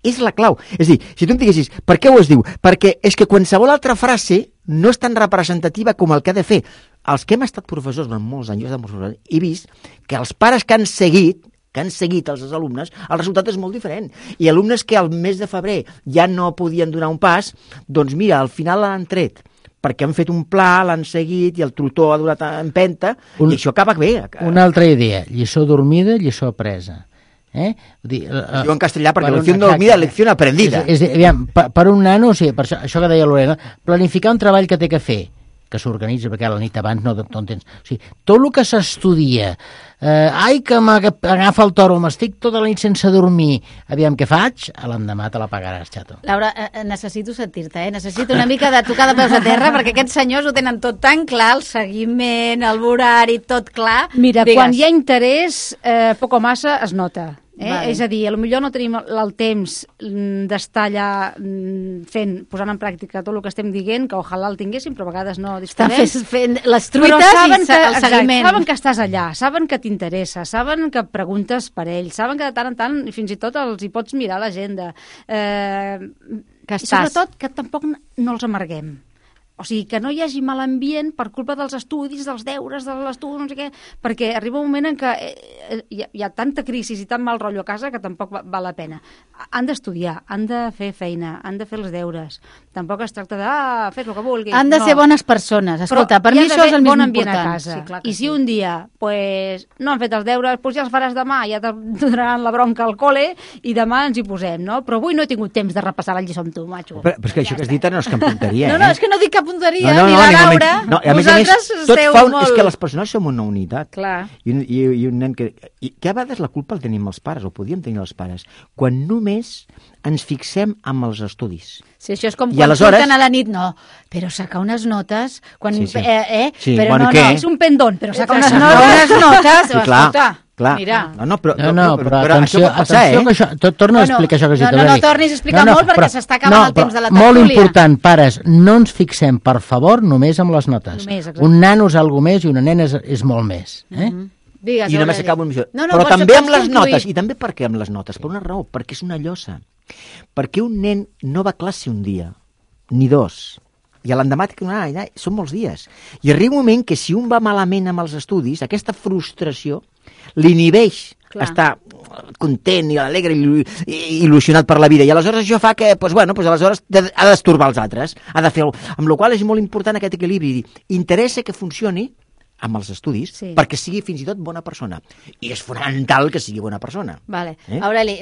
És la clau. És a dir, si tu em diguessis, per què ho es diu? Perquè és que qualsevol altra frase no és tan representativa com el que ha de fer. Els que hem estat professors durant molts anys, he vist que els pares que han seguit els alumnes, el resultat és molt diferent. I alumnes que al mes de febrer ja no podien donar un pas, doncs mira, al final l'han tret, perquè han fet un pla, l'han seguit i el tutor ha donat empenta, i això acaba bé. Una altra idea, lliçó dormida, lliçó apresa. Es diu en castellà perquè lecció dormida, lecció aprendida. Aviam, per un nano, per això que deia Lorena, planificar un treball que té que fer, que s'organitza, perquè la nit abans no entens. O sigui, tot el que s'estudia, que m'agafa el toro, m'estic tota la nit sense dormir, aviam què faig, a l'endemà te la pagaràs, xato. Laura, necessito sentir-te, Necessito una mica de tocar de peus a terra, perquè aquests senyors ho tenen tot tan clar, el seguiment, el horari, tot clar. Mira, quan hi ha interès, poc o massa es nota. És a dir, potser no tenim el temps d'estar allà posant en pràctica tot el que estem dient, que ojalà el tinguéssim, però a vegades no disposem. Estan fent les truites i el seguiment. Saben que estàs allà, saben que t'interessa, saben que preguntes per ells, saben que de tant en tant fins i tot els hi pots mirar l'agenda. I sobretot que tampoc no els amarguem. O sigui, que no hi hagi mal ambient per culpa dels estudis, dels deures, de l'estudi, no sé què, perquè arriba un moment en què hi ha tanta crisi i tant mal rotllo a casa que tampoc val la pena. Han d'estudiar, han de fer feina, han de fer els deures. Tampoc es tracta de fer el que vulguis. Han de ser bones persones. Escolta, per mi això és el més important. A casa. I si un dia no han fet els deures, ja els faràs demà, ja te donaran la bronca al col·le i demà ens hi posem, no? Però avui no he tingut temps de repassar la lliçó amb tu, macho. Però és que això que has dit no és cap tonteria, No, és que no dic cap punteria, ni la Laura, vosaltres esteu molt... És que les persones som una unitat. Clar. I un nen que a vegades la culpa el tenim els pares, o podíem tenir els pares, quan només ens fixem amb els estudis. Sí, això és com quan surten a la nit, però sacar unes notes... Però no, és un pendón, però sacar unes notes, escolta... Mira. Però atenció, que això... Torna a explicar això que has dit. No tornis a explicar molt perquè s'està acabant el temps de la tertúlia. Molt important, pares, no ens fixem, per favor, només amb les notes. Un nano és alguna més i una nena és molt més. I només acabo amb això. Però també amb les notes. I també per què amb les notes? Per una raó, perquè és una llosa. Perquè un nen no va a classe un dia, ni dos, i a l'endemà són molts dies. I arriba un moment que si un va malament amb els estudis, aquesta frustració l'inhibeix estar content i alegre i il·lusionat per la vida. I aleshores això fa que, aleshores ha d'estorbar els altres. Ha de fer amb la qual cosa és molt important aquest equilibri. Interessa que funcioni amb els estudis perquè sigui fins i tot bona persona. I és fonamental que sigui bona persona. Vale. Aureli,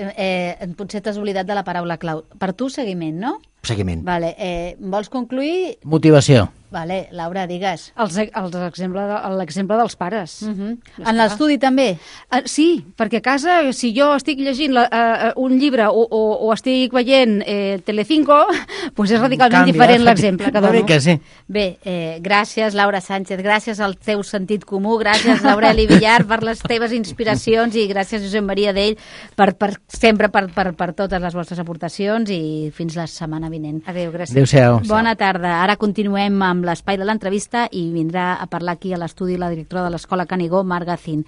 potser t'has oblidat de la paraula clau. Per tu, seguiment, no? Seguiment. Vale. Vols concluir? Motivació. Vale, Laura, digues. L'exemple dels pares. En l'estudi també? Sí, perquè a casa, si jo estic llegint un llibre o estic veient Telecinco, doncs és radicalment diferent l'exemple que dono. Bé, gràcies, Laura Sánchez, gràcies al teu sentit comú, gràcies, Aureli Villar, per les teves inspiracions i gràcies, Josep Maria Dell, sempre per totes les vostres aportacions i fins la setmana vinent. Adéu, gràcies. Adéu-siau. Bona tarda. Ara continuem amb l'espai de l'entrevista i vindrà a parlar aquí a l'estudi la directora de l'Escola Canigó, Marga Zin.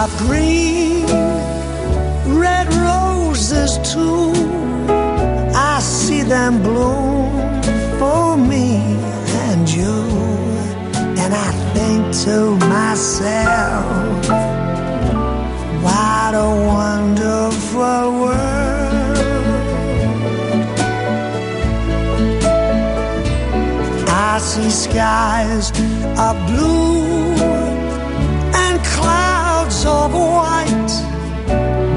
of green, red roses too. I see them bloom for me and you, and I think to myself, what a wonderful world. I see skies of blue and clouds of white,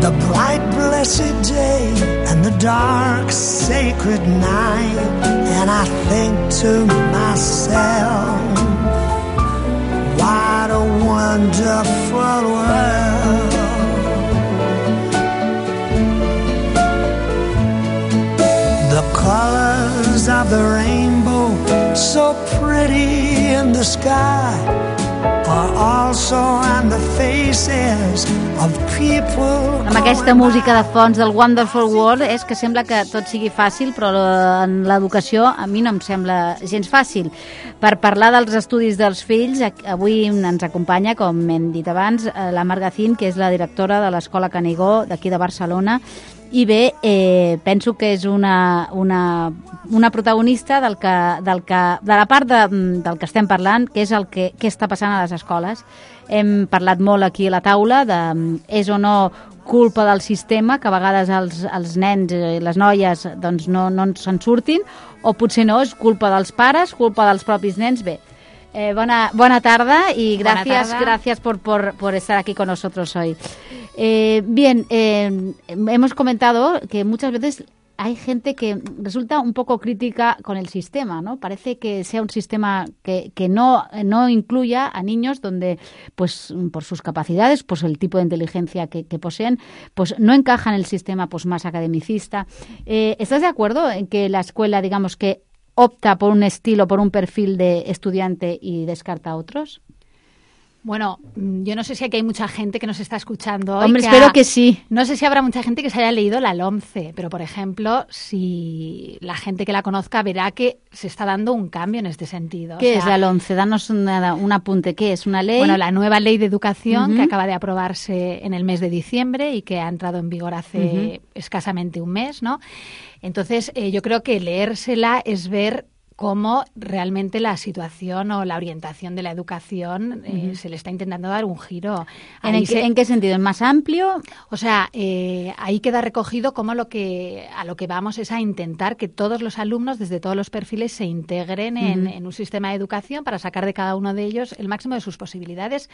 the bright blessed day and the dark sacred night, and I think to myself, what a wonderful world. The colors of the rainbow, so pretty in the sky, are also on the faces of people. Amb aquesta música de fons del Wonderful World és que sembla que tot sigui fàcil, però en l'educació a mi no em sembla gens fàcil. Per parlar dels estudis dels fills, avui ens acompanya, com hem dit abans, la Margacín, que és la directora de l'Escola Canigó d'aquí de Barcelona. I bé, penso que és una protagonista de la part del que estem parlant, que és el que està passant a les escoles. Hem parlat molt aquí a la taula de és o no culpa del sistema, que a vegades els nens i les noies doncs, no se'n surtin, o potser no, és culpa dels pares, culpa dels propis nens. Bé, buena tarda y gracias por estar aquí con nosotros hoy. Bien, hemos comentado que muchas veces hay gente que resulta un poco crítica con el sistema, ¿no? Parece que sea un sistema que no incluya a niños donde, pues, por sus capacidades, pues el tipo de inteligencia que poseen, pues no encaja en el sistema pues más academicista. ¿Estás de acuerdo en que la escuela, digamos, que opta por un estilo, por un perfil de estudiante y descarta a otros? Bueno, yo no sé si aquí hay mucha gente que nos está escuchando hoy. Hombre, espero que sí. No sé si habrá mucha gente que se haya leído la LOMCE, pero, por ejemplo, si la gente que la conozca verá que se está dando un cambio en este sentido. ¿Qué es la LOMCE? Danos un apunte. ¿Qué es? ¿Una ley? Bueno, la nueva ley de educación que acaba de aprobarse en el mes de diciembre y que ha entrado en vigor hace escasamente un mes, ¿no? Entonces, yo creo que leérsela es ver cómo realmente la situación o la orientación de la educación se le está intentando dar un giro. ¿En qué sentido? ¿En más amplio? O sea, ahí queda recogido cómo a lo que vamos es a intentar que todos los alumnos, desde todos los perfiles, se integren en un sistema de educación para sacar de cada uno de ellos el máximo de sus posibilidades,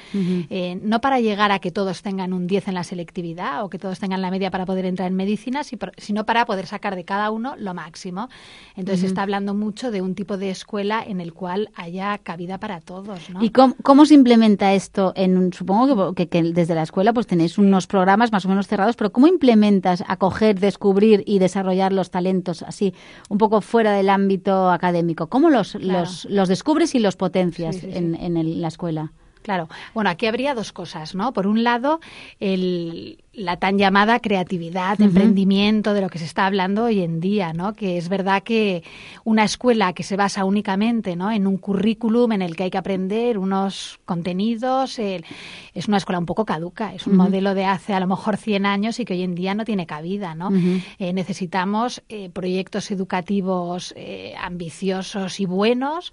no para llegar a que todos tengan un 10 en la selectividad o que todos tengan la media para poder entrar en medicina, sino para poder sacar de cada uno lo máximo. Entonces se está hablando mucho de un tipo de escuela en el cual haya cabida para todos, ¿no? ¿Y cómo se implementa esto? Supongo que desde la escuela pues tenéis unos programas más o menos cerrados, pero ¿cómo implementas acoger, descubrir y desarrollar los talentos así, un poco fuera del ámbito académico? ¿Cómo los descubres y los potencias en la escuela? Claro. Bueno, aquí habría dos cosas, ¿no? Por un lado, la tan llamada creatividad, emprendimiento, de lo que se está hablando hoy en día, ¿no? Que es verdad que una escuela que se basa únicamente, ¿no?, en un currículum en el que hay que aprender unos contenidos, es una escuela un poco caduca, es un modelo de hace a lo mejor 100 años y que hoy en día no tiene cabida, ¿no? Necesitamos proyectos educativos ambiciosos y buenos,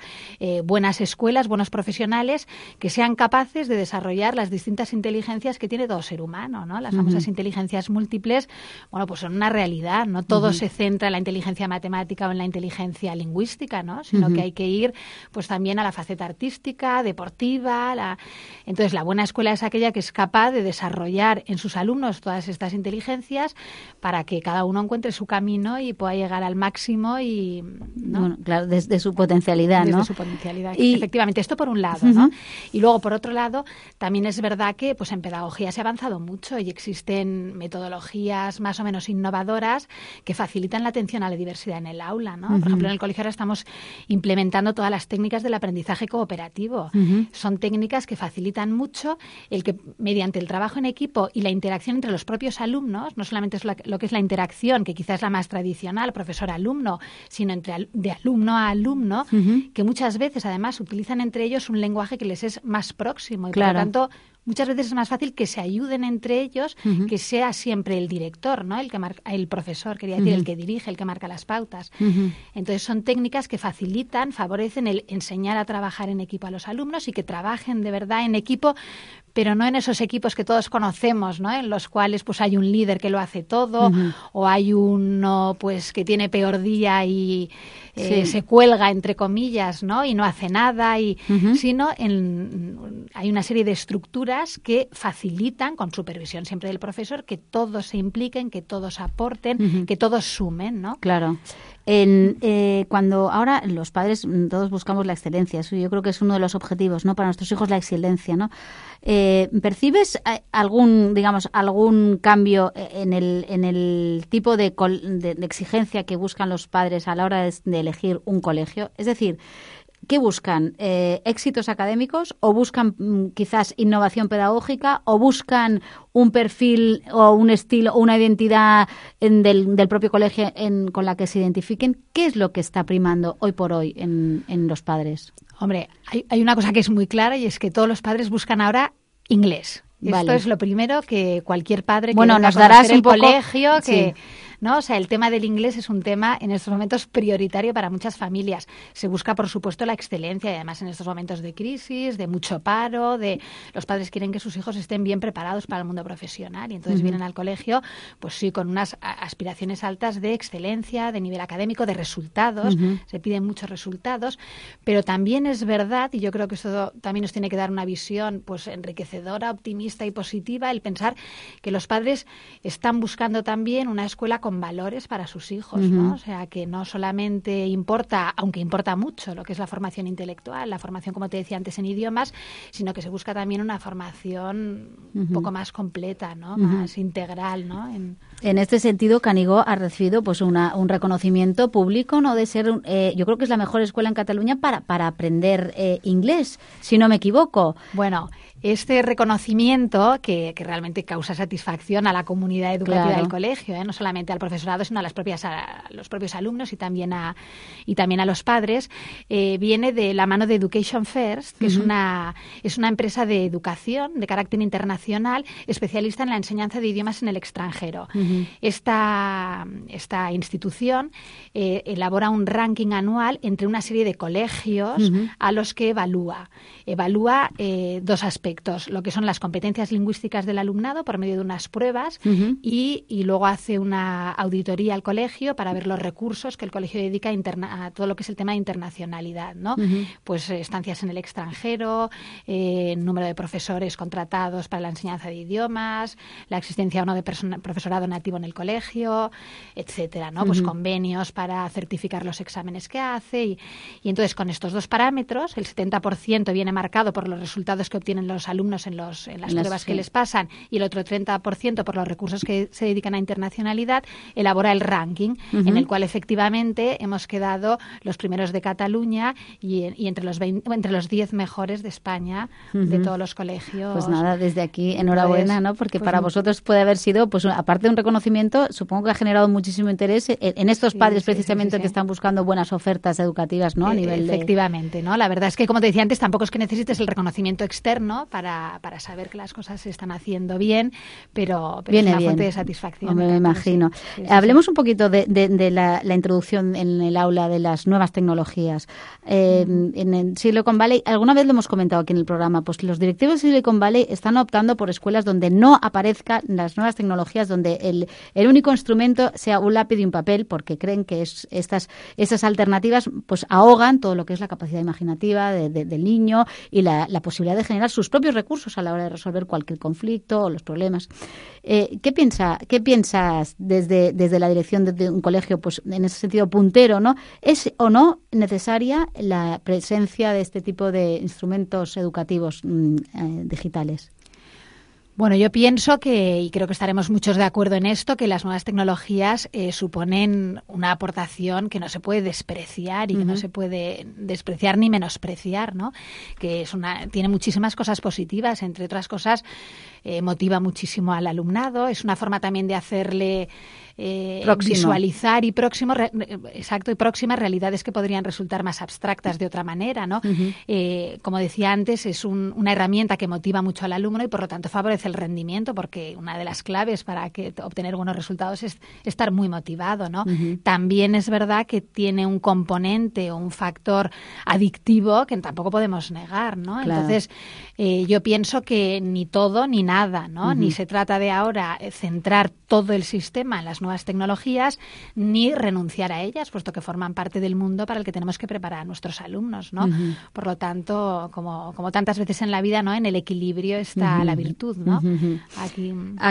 buenas escuelas, buenos profesionales que sean capaces de desarrollar las distintas inteligencias que tiene todo ser humano, ¿no? Las famosas inteligencias múltiples, bueno, pues son una realidad, no todo se centra en la inteligencia matemática o en la inteligencia lingüística, ¿no? Sino que hay que ir pues también a la faceta artística, deportiva. Entonces, la buena escuela es aquella que es capaz de desarrollar en sus alumnos todas estas inteligencias para que cada uno encuentre su camino y pueda llegar al máximo y, ¿no? Bueno, claro, desde su potencialidad, ¿no? Desde su potencialidad, efectivamente. Esto por un lado, ¿no? Y luego, por otro lado, también es verdad que pues en pedagogía se ha avanzado mucho y existen metodologías más o menos innovadoras que facilitan la atención a la diversidad en el aula, ¿no? Por ejemplo, en el colegio ahora estamos implementando todas las técnicas del aprendizaje cooperativo. Son técnicas que facilitan mucho el que mediante el trabajo en equipo y la interacción entre los propios alumnos, no solamente es lo que es la interacción, que quizás es la más tradicional, profesor-alumno, sino de alumno a alumno, que muchas veces además utilizan entre ellos un lenguaje que les es más próximo y por lo tanto muchas veces es más fácil que se ayuden entre ellos, que sea siempre el director, ¿no? El profesor, quería decir, el que dirige, el que marca las pautas. Entonces son técnicas que facilitan, favorecen el enseñar a trabajar en equipo a los alumnos y que trabajen de verdad en equipo, pero no en esos equipos que todos conocemos, ¿no? En los cuales pues hay un líder que lo hace todo, o hay uno pues que tiene peor día y se cuelga, entre comillas, ¿no? Y no hace nada, sino hay una serie de estructuras que facilitan, con supervisión siempre del profesor, que todos se impliquen, que todos aporten, que todos sumen, ¿no? Claro. Cuando ahora los padres todos buscamos la excelencia, eso yo creo que es uno de los objetivos, ¿no? Para nuestros hijos, la excelencia, ¿no? ¿Percibes algún cambio en el tipo de exigencia que buscan los padres a la hora de elegir un colegio? Es decir, ¿qué buscan? ¿Éxitos académicos o buscan quizás innovación pedagógica o buscan un perfil o un estilo o una identidad del propio colegio con la que se identifiquen? ¿Qué es lo que está primando hoy por hoy en los padres? Hombre, hay una cosa que es muy clara y es que todos los padres buscan ahora inglés. Vale. Esto es lo primero que cualquier padre que nos darás un poco colegio, que... Sí. ¿no? O sea, el tema del inglés es un tema en estos momentos prioritario para muchas familias. Se busca, por supuesto, la excelencia y además en estos momentos de crisis, de mucho paro, los padres quieren que sus hijos estén bien preparados para el mundo profesional y entonces vienen al colegio, pues sí, con unas aspiraciones altas de excelencia, de nivel académico, de resultados. Se piden muchos resultados, pero también es verdad, y yo creo que eso también nos tiene que dar una visión pues enriquecedora, optimista y positiva, el pensar que los padres están buscando también una escuela con valores para sus hijos, ¿no? O sea, que no solamente importa, aunque importa mucho lo que es la formación intelectual, la formación, como te decía antes, en idiomas, sino que se busca también una formación un poco más completa, ¿no? Más integral, ¿no? En este sentido, Canigó ha recibido pues un reconocimiento público, ¿no? De ser, yo creo que es la mejor escuela en Cataluña para aprender inglés, si no me equivoco. Bueno, este reconocimiento que realmente causa satisfacción a la comunidad educativa del colegio, no solamente al profesorado, sino a los propios alumnos y también a los padres, viene de la mano de Education First, que es una empresa de educación de carácter internacional, especialista en la enseñanza de idiomas en el extranjero. Esta institución elabora un ranking anual entre una serie de colegios a los que evalúa dos aspectos, lo que son las competencias lingüísticas del alumnado por medio de unas pruebas y luego hace una auditoría al colegio para ver los recursos que el colegio dedica a todo lo que es el tema de internacionalidad, ¿no? Pues estancias en el extranjero, número de profesores contratados para la enseñanza de idiomas, la existencia o no de profesorado nativo en el colegio, etcétera, ¿no? Pues convenios para certificar los exámenes que hace y entonces con estos dos parámetros, el 70% viene marcado por los resultados que obtienen los alumnos en las pruebas que les pasan y el otro 30% por los recursos que se dedican a internacionalidad, elabora el ranking en el cual efectivamente hemos quedado los primeros de Cataluña y entre los 10 mejores de España, de todos los colegios. Pues nada, desde aquí enhorabuena, ¿no? Porque para vosotros puede haber sido, pues aparte de un reconocimiento, supongo que ha generado muchísimo interés en estos padres precisamente que están buscando buenas ofertas educativas, ¿no? A nivel efectivamente, ¿no? La verdad es que, como te decía antes, tampoco es que necesites el reconocimiento externo para saber que las cosas se están haciendo bien, pero es una fuente de satisfacción. Me imagino. Hablemos un poquito de la introducción en el aula de las nuevas tecnologías. En el Silicon Valley, alguna vez lo hemos comentado aquí en el programa, pues los directivos de Silicon Valley están optando por escuelas donde no aparezcan las nuevas tecnologías, donde el único instrumento sea un lápiz y un papel, porque creen que estas alternativas pues ahogan todo lo que es la capacidad imaginativa del niño y la posibilidad de generar sus propios recursos a la hora de resolver cualquier conflicto o los problemas. ¿Qué piensas desde la dirección de un colegio, pues en ese sentido puntero, ¿no? ¿Es o no necesaria la presencia de este tipo de instrumentos educativos digitales? Bueno, yo pienso y creo que estaremos muchos de acuerdo en esto, que las nuevas tecnologías suponen una aportación que no se puede despreciar y que no se puede despreciar ni menospreciar, ¿no? Que tiene muchísimas cosas positivas, entre otras cosas, motiva muchísimo al alumnado, es una forma también de hacerle visualizar y próximas realidades que podrían resultar más abstractas de otra manera, ¿no? Como decía antes, es una herramienta que motiva mucho al alumno y por lo tanto favorece el rendimiento, porque una de las claves para obtener buenos resultados es estar muy motivado, ¿no? También es verdad que tiene un componente o un factor adictivo que tampoco podemos negar, ¿no? Claro. Entonces, yo pienso que ni todo ni nada, ¿no? Ni se trata de ahora centrar todo el sistema en las nuevas tecnologías, ni renunciar a ellas, puesto que forman parte del mundo para el que tenemos que preparar a nuestros alumnos, ¿no? Por lo tanto, como tantas veces en la vida, ¿no? En el equilibrio está la virtud, ¿no?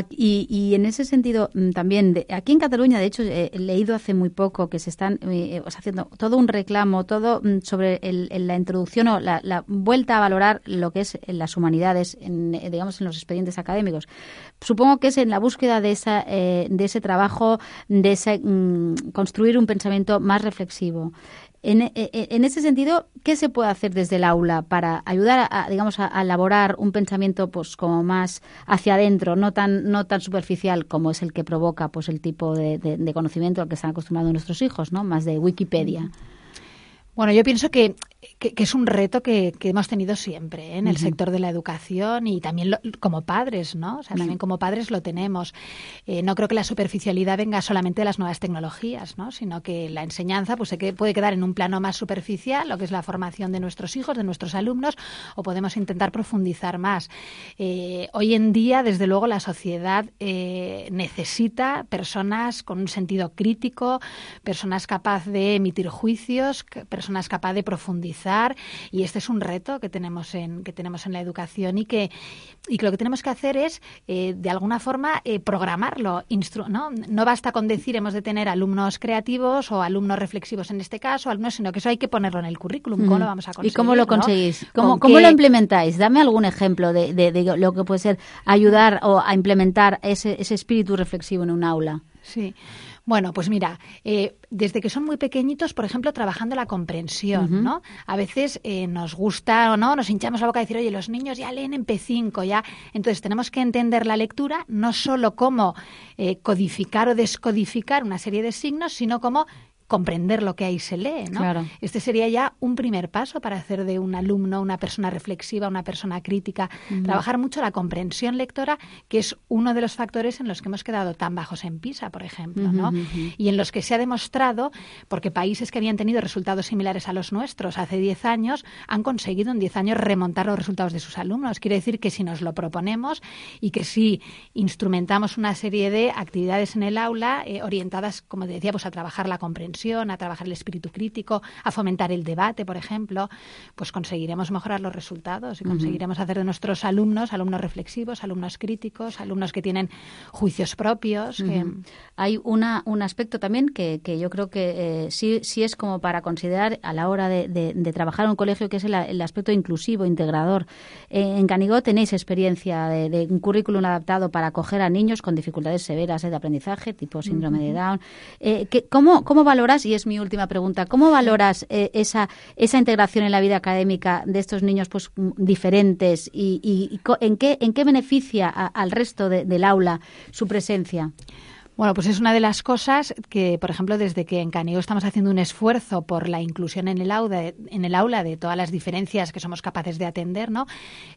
Y en ese sentido, también, aquí en Cataluña, de hecho, he leído hace muy poco que se están haciendo todo un reclamo, todo sobre la introducción o la vuelta a valorar lo que es las humanidades, digamos, en los expedientes académicos. Supongo que es en la búsqueda de ese trabajo, de ese construir un pensamiento más reflexivo. En ese sentido, ¿qué se puede hacer desde el aula para ayudar a elaborar un pensamiento pues como más hacia adentro, no tan superficial como es el que provoca pues el tipo de conocimiento al que están acostumbrados nuestros hijos, ¿no? Más de Wikipedia? Bueno, yo pienso que es un reto que hemos tenido siempre en el sector de la educación y también como padres, ¿no? O sea, también como padres lo tenemos. No creo que la superficialidad venga solamente de las nuevas tecnologías, ¿no? Sino que la enseñanza pues puede quedar en un plano más superficial, lo que es la formación de nuestros hijos, de nuestros alumnos, o podemos intentar profundizar más. Hoy en día, desde luego, la sociedad necesita personas con un sentido crítico, personas capaces de emitir juicios, personas capaces de profundizar, y este es un reto que tenemos en la educación y que lo que tenemos que hacer es de alguna forma programarlo, no basta con decir hemos de tener alumnos creativos o alumnos reflexivos en este caso, sino que eso hay que ponerlo en el currículum. ¿Cómo lo vamos a conseguir? ¿Y cómo lo conseguís? ¿Cómo lo implementáis? Dame algún ejemplo de lo que puede ser ayudar o a implementar ese espíritu reflexivo en un aula. Sí. Bueno, pues mira, desde que son muy pequeñitos, por ejemplo, trabajando la comprensión, ¿no? A veces nos gusta o no, nos hinchamos la boca a decir, oye, los niños ya leen en P5, ya. Entonces tenemos que entender la lectura no solo como codificar o descodificar una serie de signos, sino como comprender lo que ahí se lee, ¿no? Claro. Este sería ya un primer paso para hacer de un alumno una persona reflexiva, una persona crítica. Trabajar mucho la comprensión lectora, que es uno de los factores en los que hemos quedado tan bajos en PISA, por ejemplo, ¿no? Y en los que se ha demostrado, porque países que habían tenido resultados similares a los nuestros hace 10 años, han conseguido en 10 años remontar los resultados de sus alumnos. Quiere decir que si nos lo proponemos y que si instrumentamos una serie de actividades en el aula orientadas, como decía, pues a trabajar la comprensión, a trabajar el espíritu crítico, a fomentar el debate, por ejemplo, pues conseguiremos mejorar los resultados y conseguiremos hacer de nuestros alumnos reflexivos, alumnos críticos, alumnos que tienen juicios propios. Hay un aspecto también que yo creo que sí es como para considerar a la hora de trabajar en un colegio, que es el aspecto inclusivo, integrador. En Canigó tenéis experiencia de un currículum adaptado para acoger a niños con dificultades severas de aprendizaje, tipo síndrome de Down. ¿Cómo valoras, y es mi última pregunta, cómo valoras esa integración en la vida académica de estos niños pues diferentes y en qué beneficia al resto del aula su presencia? Bueno, pues es una de las cosas que, por ejemplo, desde que en Canigó estamos haciendo un esfuerzo por la inclusión en el aula de todas las diferencias que somos capaces de atender, ¿no?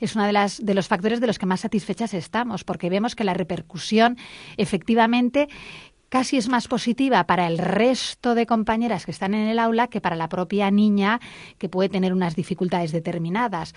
Es una de los factores de los que más satisfechas estamos, porque vemos que la repercusión efectivamente casi es más positiva para el resto de compañeras que están en el aula que para la propia niña, que puede tener unas dificultades determinadas.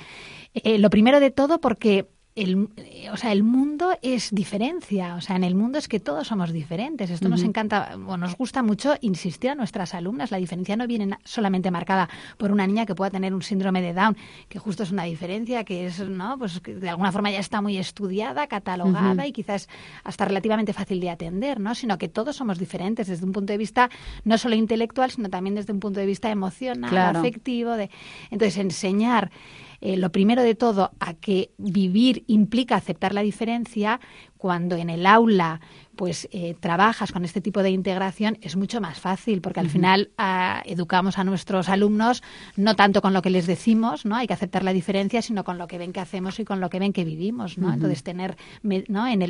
Lo primero de todo porque el mundo es diferencia, o sea, en el mundo es que todos somos diferentes. Esto nos encanta, nos gusta mucho insistir a nuestras alumnas. La diferencia no viene solamente marcada por una niña que pueda tener un síndrome de Down, que justo es una diferencia que es, ¿no? Pues que de alguna forma ya está muy estudiada, catalogada y quizás hasta relativamente fácil de atender, ¿no? Sino que todos somos diferentes desde un punto de vista no solo intelectual, sino también desde un punto de vista emocional, afectivo. Entonces, enseñar lo primero de todo a que vivir implica aceptar la diferencia, cuando en el aula pues trabajas con este tipo de integración, es mucho más fácil, porque al final educamos a nuestros alumnos no tanto con lo que les decimos, ¿no? Hay que aceptar la diferencia, sino con lo que ven que hacemos y con lo que ven que vivimos, ¿no? Entonces tener, ¿no?, en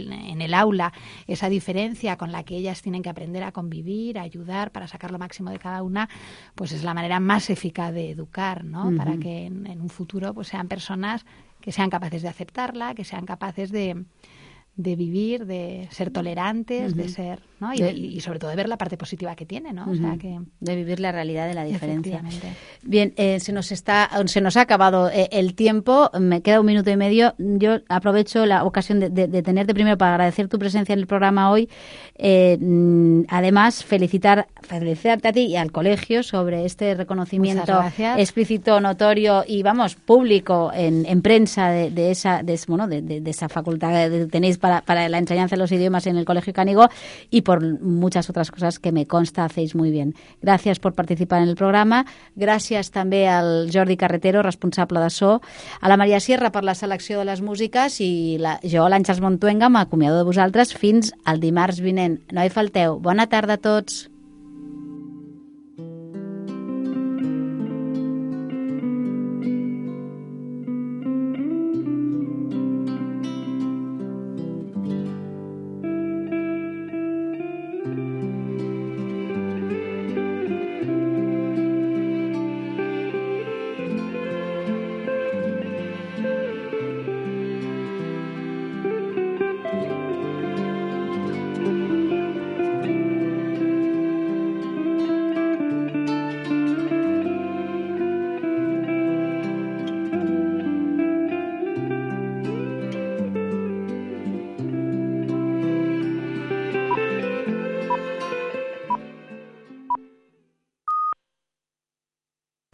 el aula esa diferencia con la que ellas tienen que aprender a convivir, a ayudar para sacar lo máximo de cada una, pues es la manera más eficaz de educar, ¿no? Para que en un futuro pues sean personas que sean capaces de aceptarla, que sean capaces de vivir, de ser tolerantes, de ser, ¿no? Y sobre todo de ver la parte positiva que tiene, ¿no? O sea que de vivir la realidad de la diferencia. Bien, se nos ha acabado el tiempo, me queda 1 minuto y medio. Yo aprovecho la ocasión de tenerte primero para agradecer tu presencia en el programa hoy. Además, felicitarte a ti y al colegio sobre este reconocimiento explícito, notorio y, vamos, público en prensa de esa facultad que tenéis para la enseñanza de los idiomas en el Colegio Canigó, y por muchas otras cosas que me consta hacéis muy bien. Gràcies per participar en el programa. Gràcies també al Jordi Carretero, responsable de so, a la Maria Sierra per la selecció de les músiques, i jo, l'Àngels Montuenga, m'acomiado de vosaltres fins al dimarts vinent. No hi falteu. Bona tarda a tots.